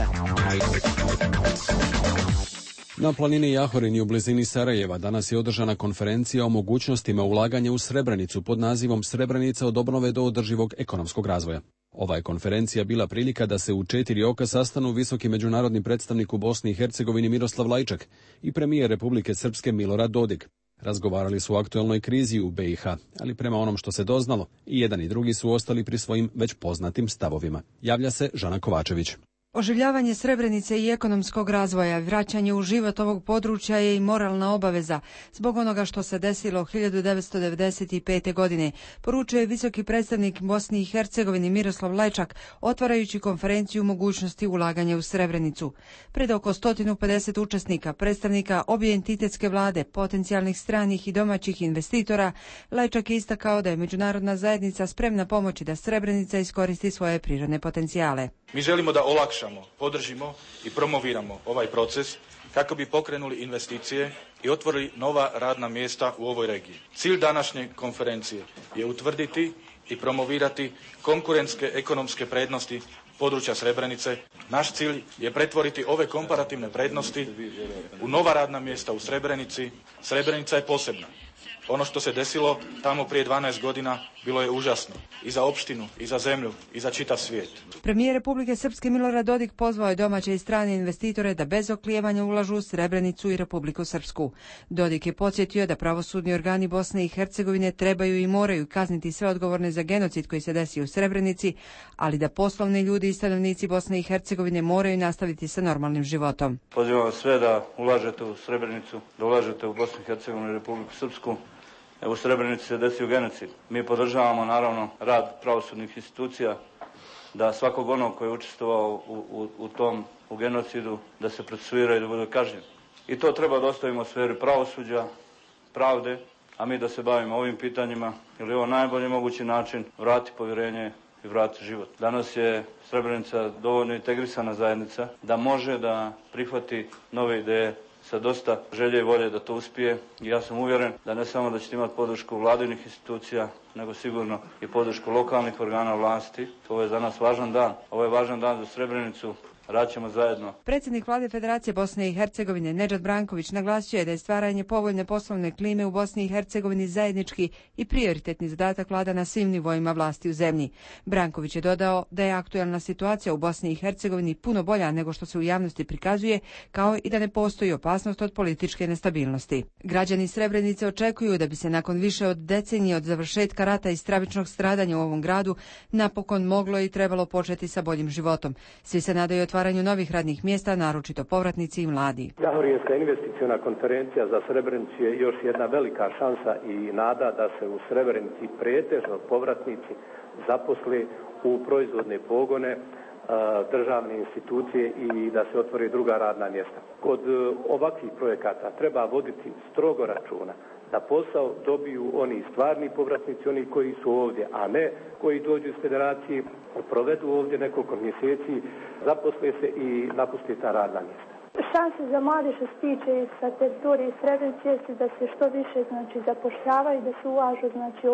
Na planini Jahorini u blizini Sarajeva danas je održana konferencija o mogućnostima ulaganja u Srebrenicu pod nazivom Srebrenica od obnove do održivog ekonomskog razvoja. Ova je konferencija bila prilika da se u 4 oka sastanu visoki međunarodni predstavnik u Bosni i Hercegovini Miroslav Lajčak i premijer Republike Srpske Milorad Dodik. Razgovarali su o aktuelnoj krizi u BiH, ali prema onom što se doznalo, i jedan i drugi su ostali pri svojim već poznatim stavovima. Javlja se Žana Kovačević. Oživljavanje Srebrenice i ekonomskog razvoja, vraćanje u život ovog područja je i moralna obaveza zbog onoga što se desilo 1995. godine, poručuje visoki predstavnik Bosni i Hercegovini Miroslav Lajčak, otvarajući konferenciju mogućnosti ulaganja u Srebrenicu. Pred oko 150 učesnika, predstavnika obje entitetske vlade, potencijalnih stranih i domaćih investitora, Lajčak je istakao da je međunarodna zajednica spremna pomoći da Srebrenica iskoristi svoje prirodne potencijale. Mi želimo da olakšamo, podržimo i promoviramo ovaj proces kako bi pokrenuli investicije i otvorili nova radna mjesta u ovoj regiji. Cilj današnje konferencije je utvrditi i promovirati konkurentske ekonomske prednosti područja Srebrenice. Naš cilj je pretvoriti ove komparativne prednosti u nova radna mjesta u Srebrenici. Srebrenica je posebna. Ono što se desilo tamo prije 12 godina bilo je užasno. I za opštinu, i za zemlju, i za čitav svijet. Premijer Republike Srpske Milorad Dodik pozvao je domaće i strane investitore da bez oklijevanja ulažu u Srebrenicu i Republiku Srpsku. Dodik je podsjetio da pravosudni organi Bosne i Hercegovine trebaju i moraju kazniti sve odgovorne za genocid koji se desio u Srebrenici, ali da poslovni ljudi i stanovnici Bosne i Hercegovine moraju nastaviti sa normalnim životom. Pozivam sve da ulažete u Srebrenicu, da ulažete u Bosnu i Hercegovinu i Republiku Srpsku. U Srebrenici se desio genocid. Mi podržavamo naravno rad pravosudnih institucija, da svakog onog koji je učestvovao u genocidu, da se procesuira i da bude kažnjen. I to treba da ostavimo u sferi pravosuđa, pravde, a mi da se bavimo ovim pitanjima, jer je ovo najbolji mogući način vrati povjerenje i vrati život. Danas je Srebrenica dovoljno integrisana zajednica da može da prihvati nove ideje sa dosta želje i volje da to uspije. I ja sam uvjeren da ne samo da ćete imati podršku vladinih institucija, nego sigurno i podršku lokalnih organa vlasti. Ovo je za nas važan dan. Ovo je važan dan za Srebrenicu. Raćemo zajedno. Predsjednik vlade Federacije Bosne i Hercegovine Nedžad Branković naglasio je da je stvaranje povoljne poslovne klime u Bosni i Hercegovini zajednički i prioritetni zadatak vlada na svim nivoima vlasti u zemlji. Branković je dodao da je aktualna situacija u Bosni i Hercegovini puno bolja nego što se u javnosti prikazuje, kao i da ne postoji opasnost od političke nestabilnosti. Građani Srebrenice očekuju da bi se nakon više od decenije od završetka rata i stravičnog stradanja u ovom gradu napokon moglo i trebalo početi sa boljim životom. Svi se nadaju otvaranju novih radnih mjesta, naročito povratnici i mladi. Jahorijevska investiciona konferencija za Srebrenicu je još jedna velika šansa i nada da se u Srebrenici pretežno povratnici zaposle u proizvodne pogone, državne institucije i da se otvore druga radna mjesta. Kod ovakvih projekata treba voditi strogo računa da posao dobiju oni stvarni povratnici, oni koji su ovdje, a ne koji dođu iz federacije, provedu ovdje nekoliko mjeseci, zaposle se i napuste ta radna mjesta. Šanse za mlade što se tiče sa teritorije Srebrenice jeste da se što više zapošljavaju, da se ulažu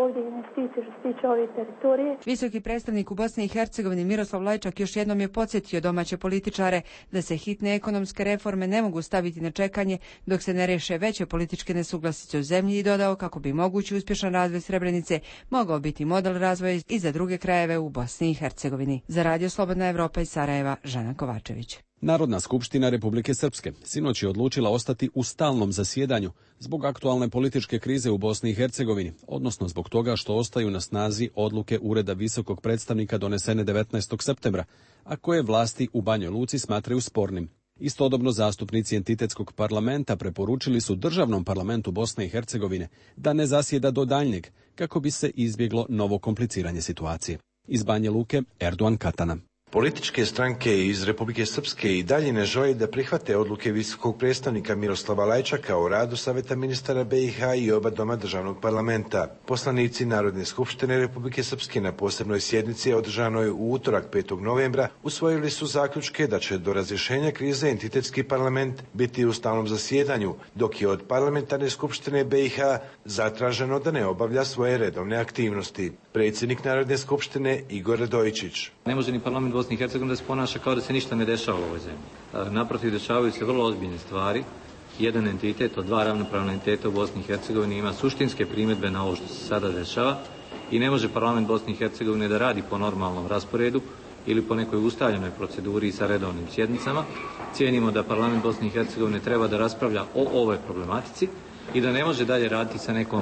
ovdje investicije što se tiče ove teritorije. Visoki predstavnik u Bosni i Hercegovini Miroslav Lajčak još jednom je podsjetio domaće političare da se hitne ekonomske reforme ne mogu staviti na čekanje dok se ne reše veće političke nesuglasice u zemlji i dodao kako bi mogući uspješan razvoj Srebrenice mogao biti model razvoja i za druge krajeve u Bosni i Hercegovini. Za Radio Slobodna Evropa iz Sarajeva, Žana Kovačević. Narodna skupština Republike Srpske sinoć je odlučila ostati u stalnom zasjedanju zbog aktualne političke krize u Bosni i Hercegovini, odnosno zbog toga što ostaju na snazi odluke Ureda visokog predstavnika donesene 19. septembra, a koje vlasti u Banjoj Luci smatraju spornim. Istodobno zastupnici entitetskog parlamenta preporučili su državnom parlamentu Bosne i Hercegovine da ne zasjeda do daljnjeg kako bi se izbjeglo novo kompliciranje situacije. Iz Banje Luke, Erdogan Katana. Političke stranke iz Republike Srpske i dalje ne žele da prihvate odluke visokog predstavnika Miroslava Lajčaka o radu Saveta ministara BiH i oba doma državnog parlamenta. Poslanici Narodne skupštine Republike Srpske na posebnoj sjednici održanoj u utorak 5. novembra usvojili su zaključke da će do razrješenja krize entitetski parlament biti u stalnom zasjedanju, dok je od parlamentarne skupštine BiH zatraženo da ne obavlja svoje redovne aktivnosti. Predsjednik Narodne skupštine Igor Radojičić. Ne može ni parlament Bosne i Hercegovine da se ponaša kao da se ništa ne dešava u ovoj zemlji. Naprotiv, dešavaju se vrlo ozbiljne stvari. Jedan entitet od dva ravnopravna entiteta u Bosni i Hercegovini ima suštinske primjedbe na ovo što se sada dešava i ne može parlament Bosne i Hercegovine da radi po normalnom rasporedu ili po nekoj ustaljenoj proceduri sa redovnim sjednicama. Cijenimo da parlament Bosne i Hercegovine treba da raspravlja o ovoj problematici i da ne može dalje raditi sa nekom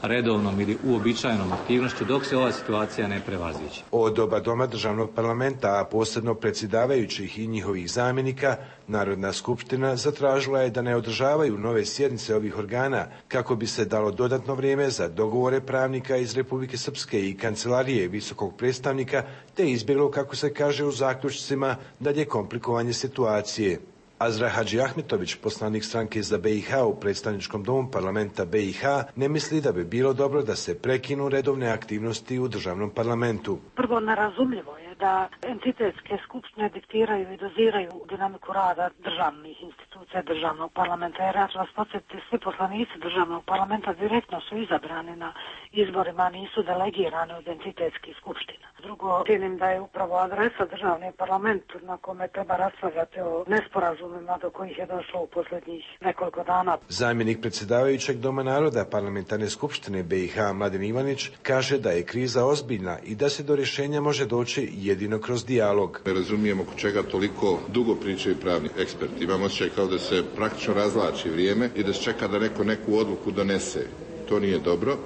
redovnom ili uobičajenom aktivnošću dok se ova situacija ne prevaziđe. Od oba doma državnog parlamenta, a posebno predsjedavajućih i njihovih zamjenika, Narodna skupština zatražila je da ne održavaju nove sjednice ovih organa kako bi se dalo dodatno vrijeme za dogovore pravnika iz Republike Srpske i kancelarije visokog predstavnika, te izbjeglo, kako se kaže u zaključcima, dalje komplikovanje situacije. Azra Hadži Ahmetović, poslanik stranke za BiH u predstavničkom domu parlamenta BiH, ne misli da bi bilo dobro da se prekinu redovne aktivnosti u državnom parlamentu. Prvo, nerazumljivo je da entitetske skupštine diktiraju i doziraju dinamiku rada državnih institucija. institucija državnog parlamenta. Jer ja ću vas podsjetiti, svi poslanici državnog parlamenta direktno su izabrani na izborima, nisu delegirani od entitetskih skupština. Drugo, cijenim da je upravo adresa državni parlament na kome treba raspravljati o nesporazumima do kojih je došlo u posljednjih nekoliko dana. Zamjenik predsjedavajućeg Doma naroda Parlamentarne skupštine BiH Mladen Ivanić kaže da je kriza ozbiljna i da se do rješenja može doći jedino kroz dijalog. Ne razumijemo oko čega toliko dugo pričaju pravni eksperti. Imamo osjećaj kao da se praktično razvlači vrijeme i da se čeka da neko neku odluku donese. To nije dobro.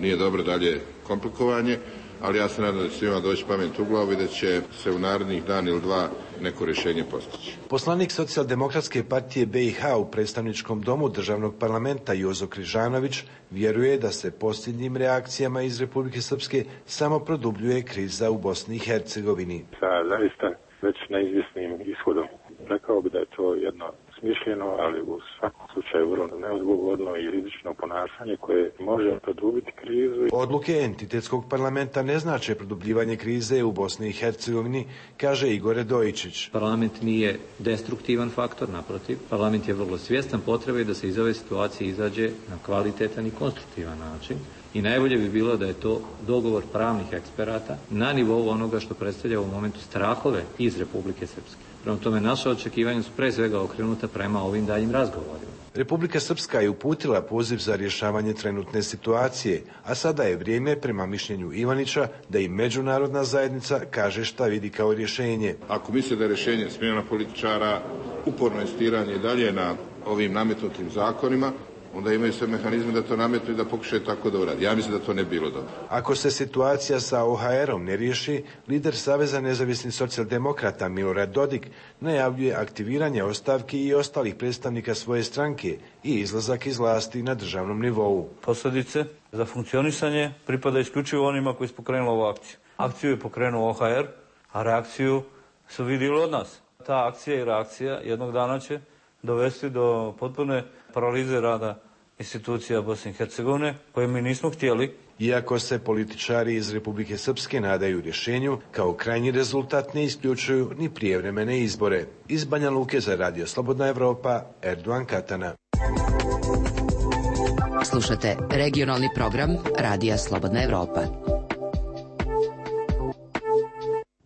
Nije dobro dalje komplikovanje, ali ja se nadam da će svima doći pamet u glavu i da će se u narednih dan ili dva neko rješenje postići. Poslanik Socijaldemokratske partije BiH u predstavničkom domu državnog parlamenta Jozo Križanović vjeruje da se posljednjim reakcijama iz Republike Srpske samo produbljuje kriza u Bosni i Hercegovini. Sa zaista već neizvjesnim ishodom. Rekao bi da je to jedno smišljeno, ali u svakom slučaju vrlo neodgovorno i rizično ponašanje koje može produbiti krizu. Odluke entitetskog parlamenta ne znače produbljivanje krize u Bosni i Hercegovini, kaže Igor Redojičić. Parlament nije destruktivan faktor, naprotiv. Parlament je vrlo svjestan potrebe da se iz ove situacije izađe na kvalitetan i konstruktivan način. I najbolje bi bilo da je to dogovor pravnih eksperata na nivou onoga što predstavlja u momentu strahove iz Republike Srpske. Prema tome, naše očekivanja su pre svega okrenuta prema ovim daljim razgovorima. Republika Srpska je uputila poziv za rješavanje trenutne situacije, a sada je vrijeme, prema mišljenju Ivanića, da i međunarodna zajednica kaže šta vidi kao rješenje. Ako misle da je rješenje smjena političara, uporno insistiranje dalje na ovim nametnutim zakonima, onda imaju sve mehanizme da to nametnu i da pokušaju tako da uradi. Ja mislim da to ne bi bilo dobro. Ako se situacija sa OHR-om ne riješi, lider Saveza nezavisnih socijaldemokrata Milorad Dodik najavljuje aktiviranje ostavki i ostalih predstavnika svoje stranke i izlazak iz vlasti na državnom nivou. Posljedice za funkcionisanje pripada isključivo onima koji su pokrenuli ovu akciju. Akciju je pokrenuo OHR, a reakciju su vidjeli od nas. Ta akcija i reakcija jednog dana će dovesti do potpune paralize rada institucija Bosne i Hercegovine, koje mi nismo htjeli. Iako se političari iz Republike Srpske nadaju rješenju, kao krajnji rezultat ne isključuju ni prijevremene izbore. Iz Banja Luke za Radio Slobodna Evropa, Erdogan Katana. Slušate regionalni program Radija Slobodna Evropa.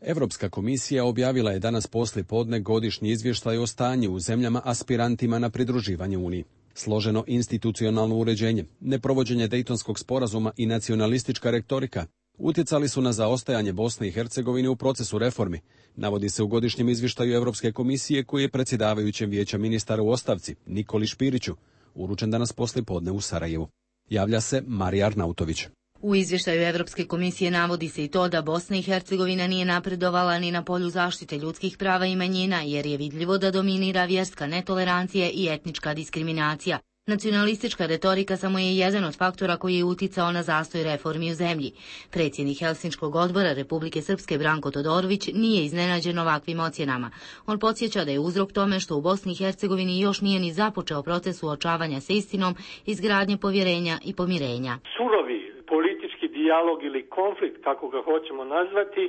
Europska komisija objavila je danas poslijepodne godišnji izvještaj o stanju u zemljama aspirantima na pridruživanje Uniji. Složeno institucionalno uređenje, neprovođenje Dejtonskog sporazuma i nacionalistička retorika utjecali su na zaostajanje Bosne i Hercegovine u procesu reformi, navodi se u godišnjem izvještaju Europske komisije koji je predsjedavajućem Vijeća ministara u ostavci, Nikoli Špiriću, uručen danas poslijepodne u Sarajevu. Javlja se Marija Arnautović. U izvještaju Europske komisije navodi se i to da Bosna i Hercegovina nije napredovala ni na polju zaštite ljudskih prava i manjina, jer je vidljivo da dominira vjerska netolerancija i etnička diskriminacija. Nacionalistička retorika samo je jedan od faktora koji je uticao na zastoj reformi u zemlji. Predsjednik Helsinškog odbora Republike Srpske Branko Todorović nije iznenađen ovakvim ocjenama. On podsjeća da je uzrok tome što u Bosni i Hercegovini još nije ni započeo proces suočavanja sa istinom, izgradnje povjerenja i pomirenja. Surovi politički dijalog ili konflikt, kako ga hoćemo nazvati,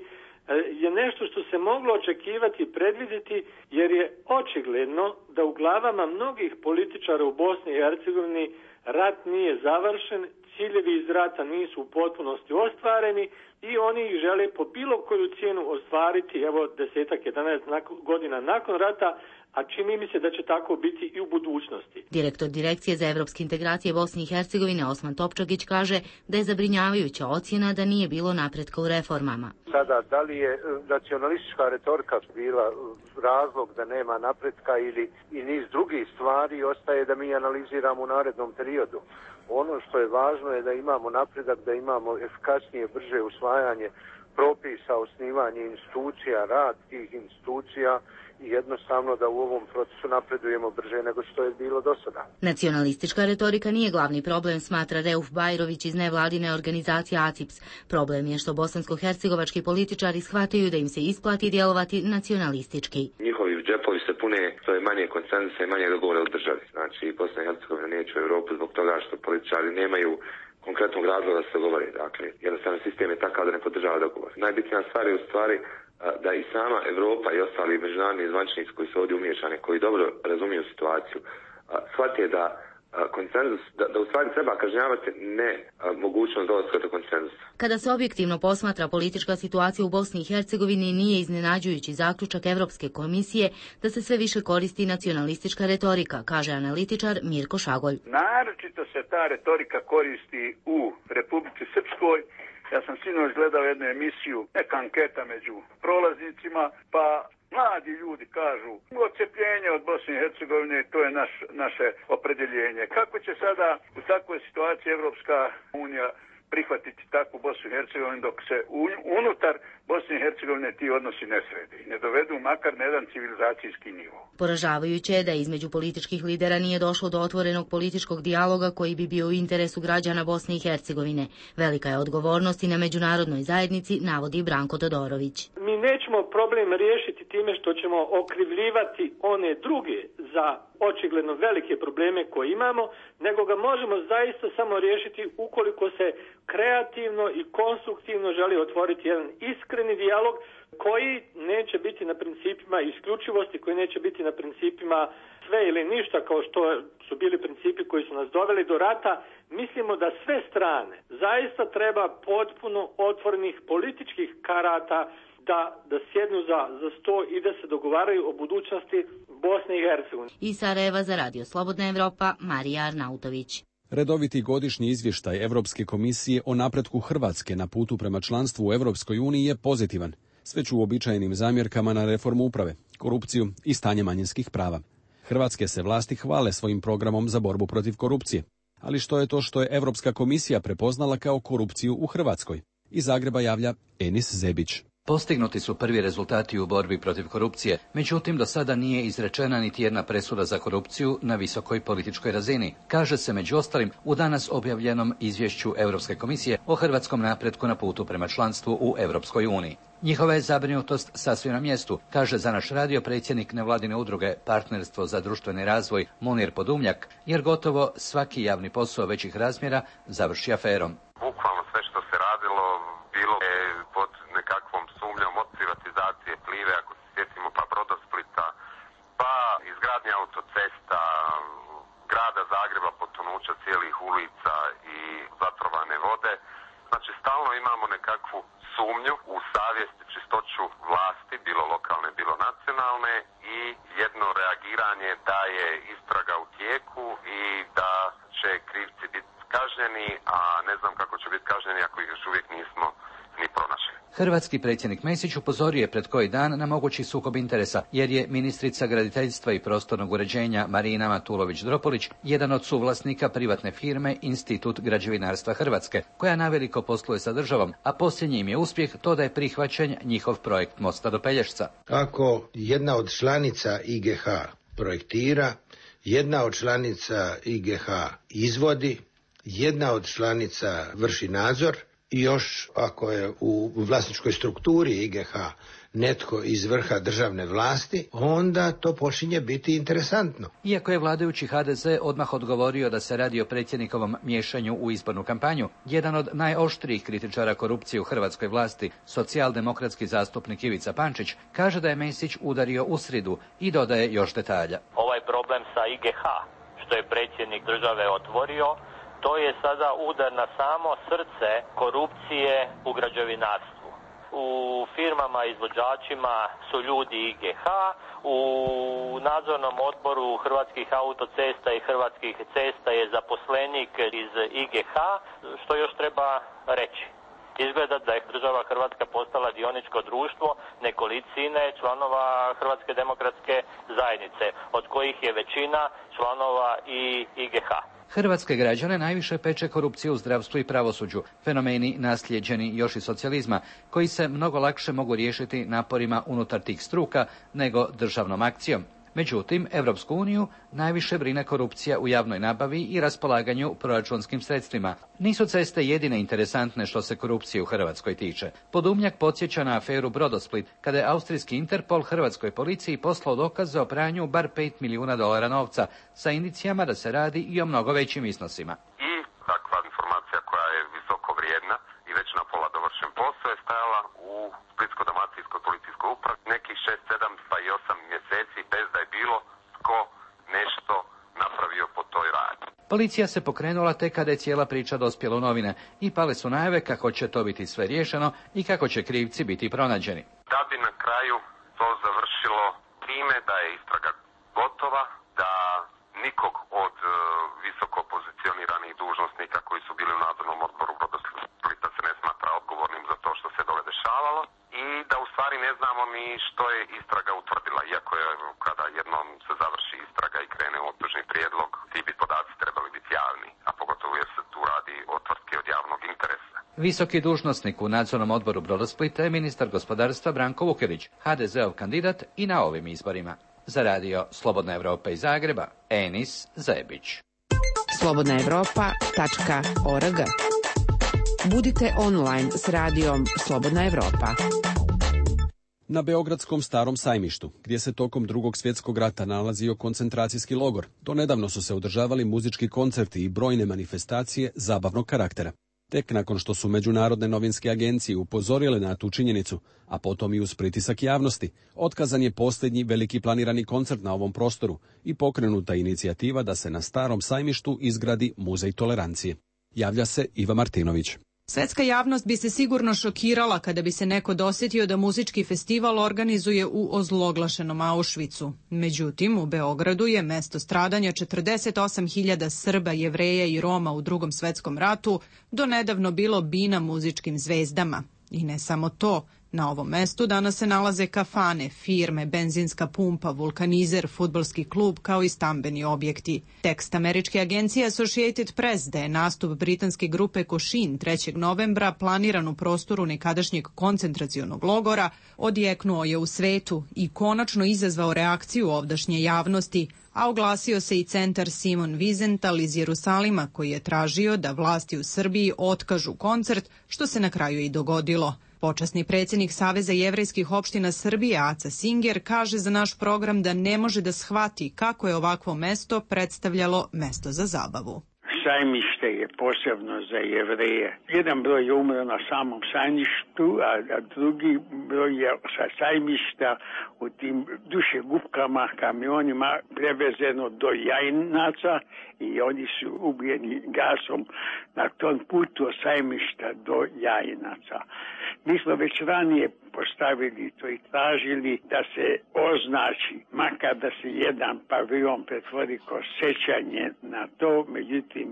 je nešto što se moglo očekivati i predvidjeti, jer je očigledno da u glavama mnogih političara u Bosni i Hercegovini rat nije završen, ciljevi iz rata nisu u potpunosti ostvareni i oni ih žele po bilo koju cijenu ostvariti, evo 10-11 godina nakon rata, a čini mi se da će tako biti i u budućnosti. Direktor Direkcije za evropske integracije Bosne i Hercegovine Osman Topčagić kaže da je zabrinjavajuća ocjena da nije bilo napretka u reformama. Sada, da li je nacionalistička retorika bila razlog da nema napretka ili i niz drugih stvari, ostaje da mi analiziramo u narednom periodu. Ono što je važno je da imamo napredak, da imamo efikasnije, brže usvajanje propisa, osnivanje institucija, rad tih institucija i jednostavno da u ovom procesu napredujemo brže nego što je bilo do sada. Nacionalistička retorika nije glavni problem, smatra Reuf Bajrović iz nevladine organizacije ACIPS. Problem je što bosansko-hercegovački političari shvataju da im se isplati djelovati nacionalistički. Njihovi džepovi se pune, to je manje konsenzusa i manje dogovora u državi. Znači, Bosna i Hercegovina neće u Europu zbog toga što političari nemaju konkretnog razloga da se govori. Dakle, jednostavno sistem je takav da ne podržava dogovor. Najbitnija stvar je u stvari da i sama Europa i ostali međunarodni zvaničnici koji su ovdje umiješani, koji dobro razumiju situaciju, shvate da konsenzus, da u stvari treba kažnjavati ne mogućnost dolaska do konsenzusa. Kada se objektivno posmatra politička situacija u Bosni i Hercegovini, nije iznenađujući zaključak Evropske komisije da se sve više koristi nacionalistička retorika, kaže analitičar Mirko Šagolj. Naročito se ta retorika koristi u Republici Srpskoj. Ja sam sinoć gledao jednu emisiju, neka anketa među prolaznicima, pa mladi ljudi kažu odcepljenje od Bosne i Hercegovine, to je naše opredjeljenje. Kako će sada u takvoj situaciji Evropska unija prihvatiti takvu Bosnu i Hercegovinu dok se unutar Bosne i Hercegovine ti odnosi ne srede i ne dovedu makar na jedan civilizacijski nivo. Poražavajuće je da između političkih lidera nije došlo do otvorenog političkog dijaloga koji bi bio u interesu građana Bosne i Hercegovine. Velika je odgovornost i na međunarodnoj zajednici, navodi Branko Todorović. Mi nećemo problem riješiti time što ćemo okrivljivati one druge za očigledno velike probleme koje imamo, nego ga možemo zaista samo riješiti ukoliko se kreativno i konstruktivno želi otvoriti jedan iskreni dijalog koji neće biti na principima isključivosti, koji neće biti na principima sve ili ništa kao što su bili principi koji su nas doveli do rata. Mislimo da sve strane zaista treba potpuno otvorenih političkih karata da sjednu za sto i da se dogovaraju o budućnosti Bosne i Hercegovine. Iz Sarajeva za Radio Slobodna Evropa, Marija Arnautović. Redoviti godišnji izvještaj Evropske komisije o napretku Hrvatske na putu prema članstvu u Europskoj uniji je pozitivan, s već uobičajenim zamjerkama na reformu uprave, korupciju i stanje manjinskih prava. Hrvatske se vlasti hvale svojim programom za borbu protiv korupcije. Ali što je to što je Europska komisija prepoznala kao korupciju u Hrvatskoj? Iz Zagreba javlja Enis Zebić. Postignuti su prvi rezultati u borbi protiv korupcije, međutim do sada nije izrečena niti jedna presuda za korupciju na visokoj političkoj razini, kaže se među ostalim u danas objavljenom izvješću Europske komisije o hrvatskom napretku na putu prema članstvu u Europskoj uniji. Njihova je zabrinutost sasvim na mjestu, kaže za naš radio predsjednik nevladine udruge Partnerstvo za društveni razvoj Munir Podumljak, jer gotovo svaki javni posao većih razmjera završi aferom. Bukvalno sve što se radilo bilo je pod nekakvom sumnjom od privatizacije Plive, ako se sjetimo, pa Brodosplita, pa izgradnja autocesta, grada Zagreba, potonuća cijelih ulica i zatrovane vode. Znači, stalno imamo nekakvu sumnju u savjest, čistoću vlasti, bilo lokalne, bilo nacionalne, i jedno reagiranje da je istraga u tijeku i da će krivci biti kažnjeni, a ne znam kako će biti kažnjeni ako ih još uvijek nismo ni pronašli. Hrvatski predsjednik Mesić upozorio je pred koji dan na mogući sukob interesa, jer je ministrica graditeljstva i prostornog uređenja Marina Matulović-Dropulić jedan od suvlasnika privatne firme Institut građevinarstva Hrvatske, koja naveliko posluje sa državom, a posljednji im je uspjeh to da je prihvaćen njihov projekt mosta do Pelješca. Ako jedna od članica IGH projektira, jedna od članica IGH izvodi, jedna od članica vrši nadzor, i još ako je u vlasničkoj strukturi IGH netko iz vrha državne vlasti, onda to počinje biti interesantno. Iako je vladajući HDZ odmah odgovorio da se radi o predsjednikovom miješanju u izbornu kampanju, jedan od najoštrijih kritičara korupcije u hrvatskoj vlasti, socijaldemokratski zastupnik Ivica Pančić, kaže da je Mesić udario u sridu i dodaje još detalja. Ovaj problem sa IGH, što je predsjednik države otvorio, to je sada udar na samo srce korupcije u građevinarstvu. U firmama izvođačima su ljudi IGH, u nadzornom odboru Hrvatskih autocesta i Hrvatskih cesta je zaposlenik iz IGH, što još treba reći. Izgleda da je država Hrvatska postala dioničko društvo nekolicine članova Hrvatske demokratske zajednice, od kojih je većina članova i IGH. Hrvatske građane najviše peče korupcija u zdravstvu i pravosuđu, fenomeni naslijeđeni još iz socijalizma, koji se mnogo lakše mogu riješiti naporima unutar tih struka nego državnom akcijom. Međutim, Europsku uniju najviše brine korupcija u javnoj nabavi i raspolaganju proračunskim sredstvima. Nisu ceste jedine interesantne što se korupcije u Hrvatskoj tiče. Podumnjak podsjeća na aferu Brodosplit, kada je austrijski Interpol hrvatskoj policiji poslao dokaze o pranju bar $5 milijuna novca, sa indicijama da se radi i o mnogo većim iznosima. I takva informacija koja je visoko vrijedna i već na pola dovršen posao je stajala u Splitsko-dalmatinskoj policijskoj Policija se pokrenula tek kada je cijela priča dospjela u novine i pale su najave kako će to biti sve riješeno i kako će krivci biti pronađeni. Da bi na kraju to završilo time da je istraga gotova, da nikog od visoko pozicioniranih dužnosnika koji su bili u nadzornom odboru Brodosplita se ne smatra odgovornim za to što se dole dešavalo i da u stvari ne znamo ni što je istraga utvrdila, iako je kada jednom se završi istraga i krene optužni prijedlog, ti bi podaci trebali biti javni, a pogotovo jer se tu radi o tvrtki od javnog interesa. Visoki dužnosnik u nadzornom odboru Brodosplita je ministar gospodarstva Branko Vukelić, HDZ-ov kandidat i na ovim izborima. Za radio Slobodna Evropa iz Zagreba, Enis Zebić. slobodnaevropa.org. Budite online s radijom Slobodna Evropa. Na Beogradskom Starom sajmištu, gdje se tokom Drugog svjetskog rata nalazio koncentracijski logor, do nedavno su se održavali muzički koncerti i brojne manifestacije zabavnog karaktera. Tek nakon što su međunarodne novinske agencije upozorile na tu činjenicu, a potom i uz pritisak javnosti, otkazan je posljednji veliki planirani koncert na ovom prostoru i pokrenuta inicijativa da se na Starom sajmištu izgradi muzej tolerancije. Javlja se Iva Martinović. Svetska javnost bi se sigurno šokirala kada bi se neko dosjetio da muzički festival organizuje u ozloglašenom Auschwitzu. Međutim, u Beogradu je mesto stradanja 48.000 Srba, Jevreja i Roma u Drugom svetskom ratu do nedavno bilo bina muzičkim zvezdama. I ne samo to, na ovom mestu danas se nalaze kafane, firme, benzinska pumpa, vulkanizer, fudbalski klub kao i stambeni objekti. Tekst američke agencije Associated Press da je nastup britanske grupe Košin 3. novembra planiran u prostoru nekadašnjeg koncentracionog logora odjeknuo je u svetu i konačno izazvao reakciju ovdašnje javnosti, a oglasio se i centar Simon Wiesenthal iz Jerusalima koji je tražio da vlasti u Srbiji otkažu koncert, što se na kraju i dogodilo. Počasni predsjednik Saveza jevrejskih opština Srbije, Aca Singer, kaže za naš program da ne može da shvati kako je ovakvo mesto predstavljalo mesto za zabavu. Sajmište je posebno za Jevreje. Jedan broj je umro na samom sajmištu, a drugi broj je sa sajmišta u tim dušegupkama, kamionima prevezeno do Jajinaca i oni su ubijeni gasom na tom putu od sajmišta do Jajinaca. Mi smo već ranije postavili to i tražili da se označi, makar da se jedan paviljon pretvori kao sećanje na to, međutim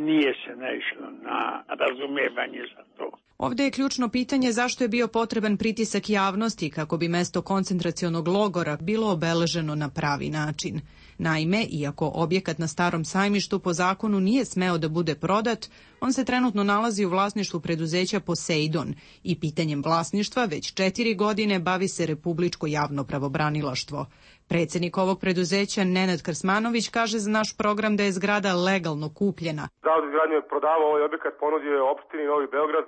nije se naišlo na razumevanje za to. Ovdje je ključno pitanje zašto je bio potreban pritisak javnosti kako bi mesto koncentracionog logora bilo obeleženo na pravi način. Naime, iako objekat na Starom sajmištu po zakonu nije smeo da bude prodat, on se trenutno nalazi u vlasništvu preduzeća Poseidon i pitanjem vlasništva već 4 godine bavi se Republičko javno pravobranilaštvo. Predsjednik ovog preduzeća Nenad Krsmanović kaže za naš program da je zgrada legalno kupljena. Zavod za izgradnju je prodavao ovaj objekat, ponudio je opštini Novi Beograd.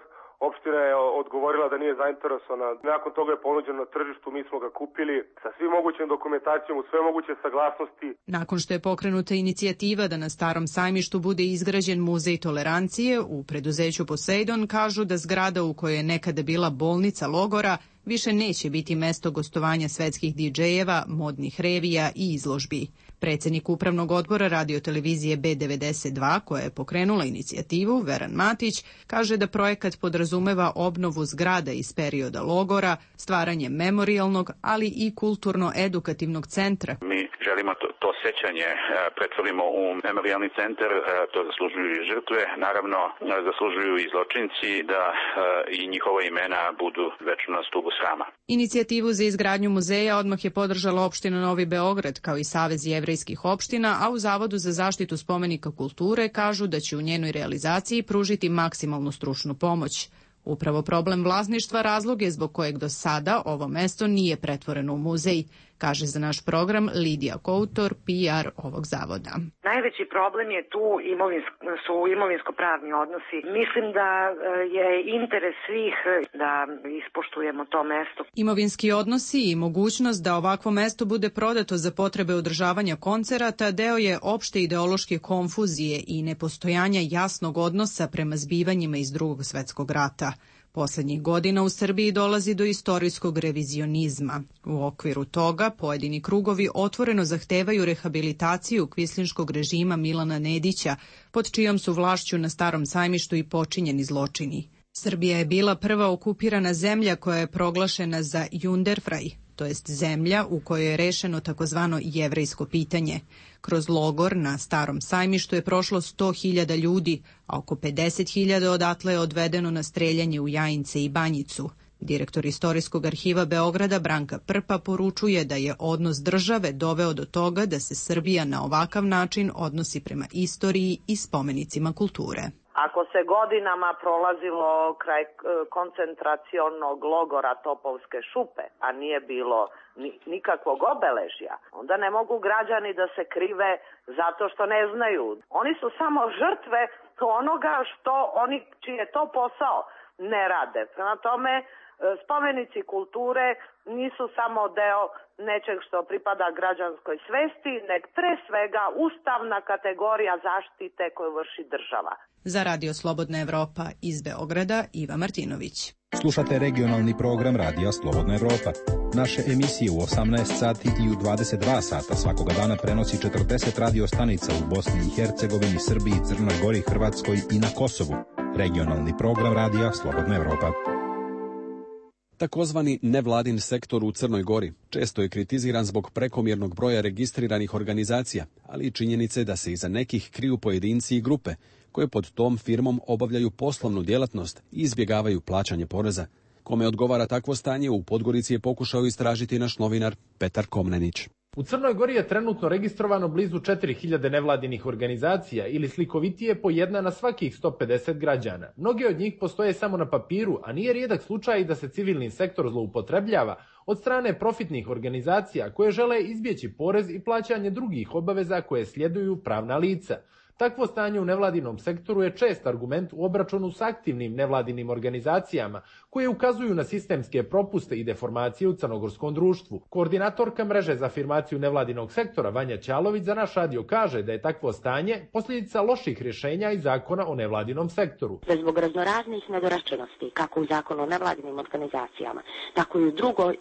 Opština je odgovorila da nije zainteresovana. Nakon toga je ponuđeno na tržištu, mi smo ga kupili sa svim mogućim dokumentacijom, u sve moguće saglasnosti. Nakon što je pokrenuta inicijativa da na Starom sajmištu bude izgrađen muzej tolerancije, u preduzeću Poseidon kažu da zgrada u kojoj je nekada bila bolnica logora više neće biti mesto gostovanja svetskih DJ-eva, modnih revija i izložbi. Predsjednik upravnog odbora radiotelevizije B92, koja je pokrenula inicijativu, Veran Matić, kaže da projekat podrazumeva obnovu zgrada iz perioda logora, stvaranje memorijalnog, ali i kulturno-edukativnog centra. Mi želimo to sećanje pretvorimo u memorijalni centar, to zaslužuju i žrtve, naravno zaslužuju i zločinci da i njihova imena budu večno na stubu srama. Inicijativu za izgradnju muzeja odmah je podržala opština Novi Beograd kao i Savez jevrejskih opština, a u Zavodu za zaštitu spomenika kulture kažu da će u njenoj realizaciji pružiti maksimalnu stručnu pomoć. Upravo problem vlasništva razlog je zbog kojeg do sada ovo mesto nije pretvoreno u muzej, kaže za naš program Lidija Koutor, PR ovog zavoda. Najveći problem je tu su imovinsko-pravni odnosi. Mislim da je interes svih da ispoštujemo to mesto. Imovinski odnosi i mogućnost da ovakvo mesto bude prodato za potrebe održavanja koncerata deo je opšte ideološke konfuzije i nepostojanja jasnog odnosa prema zbivanjima iz Drugog svjetskog rata. Poslednjih godina u Srbiji dolazi do istorijskog revizionizma. U okviru toga pojedini krugovi otvoreno zahtevaju rehabilitaciju kvislinškog režima Milana Nedića, pod čijom su vlašću na Starom sajmištu i počinjeni zločini. Srbija je bila prva okupirana zemlja koja je proglašena za Junderfraj, to jest zemlja u kojoj je rešeno takozvano jevrejsko pitanje. Kroz logor na Starom sajmištu je prošlo 100.000 ljudi, a oko 50.000 odatle je odvedeno na streljanje u Jajince i Banjicu. Direktor Istorijskog arhiva Beograda Branka Prpa poručuje da je odnos države doveo do toga da se Srbija na ovakav način odnosi prema istoriji i spomenicima kulture. Ako se godinama prolazilo kraj koncentracionog logora Topovske šupe, a nije bilo nikakvog obeležja, onda ne mogu građani da se krive zato što ne znaju. Oni su samo žrtve onoga što oni, čiji je to posao, ne rade. Prema tome, spomenici kulture nisu samo deo nečeg što pripada građanskoj svesti, nek pre svega ustavna kategorija zaštite koju vrši država. Za Radio Slobodna Evropa iz Beograda, Iva Martinović. Slušate regionalni program Radija Slobodna Evropa. Naše emisije u 18 sati i u 22 sata svakoga dana prenosi 40 radio stanica u Bosni i Hercegovini, Srbiji, Crnoj Gori, Hrvatskoj i na Kosovu. Regionalni program Radija Slobodna Evropa. Takozvani nevladin sektor u Crnoj Gori često je kritiziran zbog prekomjernog broja registriranih organizacija, ali i činjenice da se iza nekih kriju pojedinci i grupe koje pod tom firmom obavljaju poslovnu djelatnost i izbjegavaju plaćanje poreza. Kome odgovara takvo stanje, u Podgorici je pokušao istražiti naš novinar Petar Komnenić. U Crnoj Gori je trenutno registrovano blizu 4000 nevladinih organizacija ili slikovitije po jedna na svakih 150 građana. Mnoge od njih postoje samo na papiru, a nije rijedak slučaj da se civilni sektor zloupotrebljava od strane profitnih organizacija koje žele izbjeći porez i plaćanje drugih obaveza koje sljeduju pravna lica. Takvo stanje u nevladinom sektoru je čest argument u obračunu s aktivnim nevladinim organizacijama koje ukazuju na sistemske propuste i deformacije u crnogorskom društvu. Koordinatorka mreže za afirmaciju nevladinog sektora Vanja Ćalović za naš radio kaže da je takvo stanje posljedica loših rješenja i zakona o nevladinom sektoru. Zbog raznoraznih nedorečenosti, kako u zakonu o nevladinim organizacijama, tako i u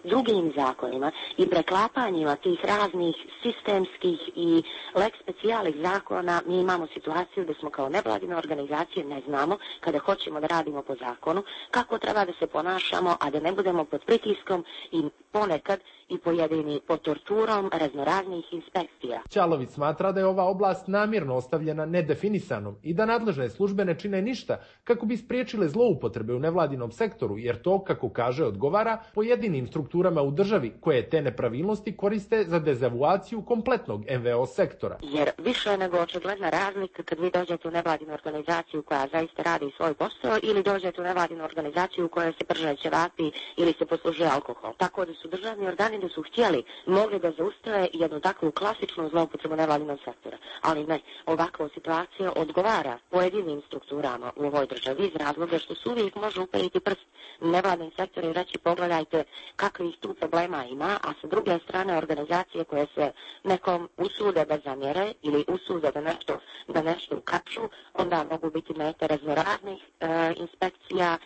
drugim zakonima i preklapanjima tih raznih sistemskih i lex specijalih zakona, mi imamo situaciju da smo kao nevladine organizacije ne znamo, kada hoćemo da radimo po zakonu, kako treba da se ponašamo, a da ne budemo pod pritiskom i ponekad i pojedini pod torturom raznoraznih inspekcija. Ćalović smatra da je ova oblast namjerno ostavljena nedefinisanom i da nadležne službe ne čine ništa kako bi spriječile zloupotrebe u nevladinom sektoru, jer to, kako kaže, odgovara pojedinim strukturama u državi koje te nepravilnosti koriste za dezavuaciju kompletnog NVO sektora. Jer više je nego očigledna razlika kad vi dođete u nevladinu organizaciju koja zaista radi svoj posao ili dođete u nevladinu organizaciju u kojoj se prže ćevapi ili se poslužuje alkohol. Tako da su državni organi da su htjeli, mogli da zaustave jednu takvu klasičnu zloupotrebu nevladinog sektora. Ali ne, ovakva situacija odgovara pojedinim strukturama u ovoj državi iz razloga što se uvijek može uperiti prst nevladnim sektor i reći pogledajte kakvih tu problema ima, a sa druge strane organizacije koje se nekom usude da zamjere ili usude da nešto ukapču, onda mogu biti mete raznoraznih inspekcija,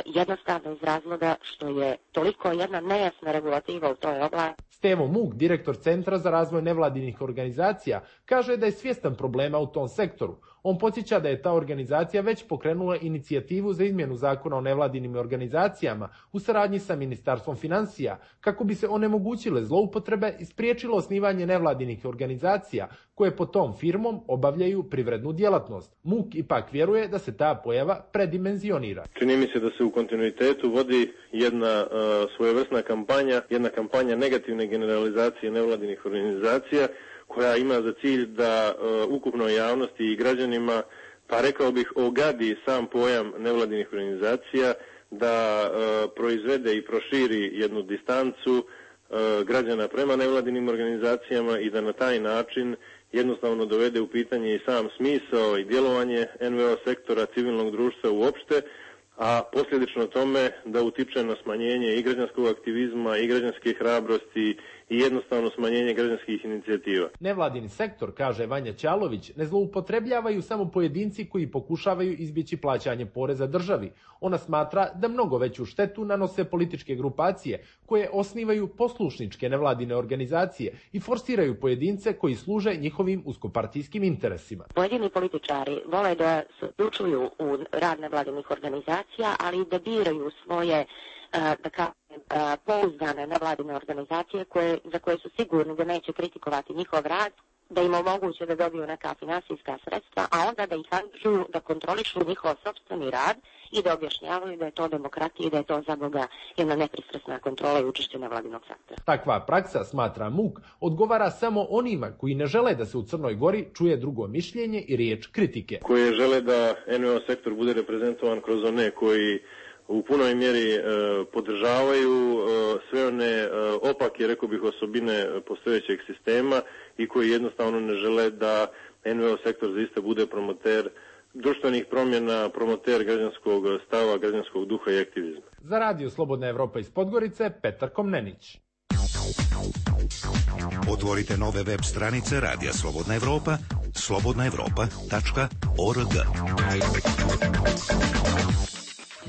jednostavno iz razloga što je toliko jedna nejasna regulativa u toj oblasti. Stevo Muk, direktor Centra za razvoj nevladinih organizacija, kaže da je svjestan problema u tom sektoru. On podsjeća da je ta organizacija već pokrenula inicijativu za izmjenu zakona o nevladinim organizacijama u saradnji sa Ministarstvom financija, kako bi se onemogućile zloupotrebe i spriječilo osnivanje nevladinih organizacija koje pod tom firmom obavljaju privrednu djelatnost. Muk ipak vjeruje da se ta pojava predimenzionira. Čini mi se da se u kontinuitetu vodi jedna svojevrsna kampanja, jedna kampanja negativne generalizacije nevladinih organizacija koja ima za cilj da ukupnoj javnosti i građanima, pa rekao bih, ogadi sam pojam nevladinih organizacija, da proizvede i proširi jednu distancu građana prema nevladinim organizacijama i da na taj način jednostavno dovede u pitanje i sam smisao i djelovanje NVO sektora, civilnog društva uopšte, a posljedično tome da utiče na smanjenje i građanskog aktivizma i građanske hrabrosti i jednostavno smanjenje građanskih inicijativa. Nevladini sektor, kaže Vanja Ćalović, ne zloupotrebljavaju samo pojedinci koji pokušavaju izbjeći plaćanje poreza državi. Ona smatra da mnogo veću štetu nanose političke grupacije koje osnivaju poslušničke nevladine organizacije i forsiraju pojedince koji služe njihovim uskopartijskim interesima. Pojedini političari vole da se uključuju u rad nevladinih organizacija, ali da biraju svoje pouzdane nevladine organizacije za koje su sigurni da neće kritikovati njihov rad, da im omoguće da dobiju neka finansijska sredstva, a onda da ih angažuju da kontrolišu njihov sopstveni rad i da objašnjavaju da je to demokratija i da je to za Boga jedna nepristrasna kontrola i učešće nevladinog sektora. Takva praksa, smatra MUK, odgovara samo onima koji ne žele da se u Crnoj Gori čuje drugo mišljenje i riječ kritike. Koje žele da NVO sektor bude reprezentovan kroz one koji u punoj mjeri podržavaju sve one opake, rekao bih, osobine postojećeg sistema i koji jednostavno ne žele da NVO sektor zaista bude promoter društvenih promjena, promoter građanskog stava, građanskog duha i aktivizma. Za Radio Slobodna Evropa iz Podgorice, Petar Komnenić. Otvorite nove web stranice Radija Slobodna Evropa, slobodnaevropa.org.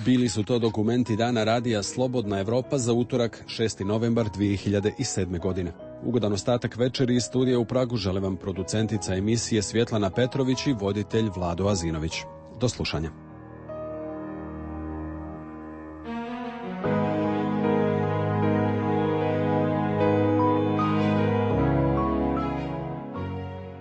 Bili su to dokumenti Dana Radija Slobodna Evropa za utorak 6. novembar 2007. godine. Ugodan ostatak večeri iz studija u Pragu žele vam producentica emisije Svjetlana Petrović i voditelj Vlado Azinović. Do slušanja.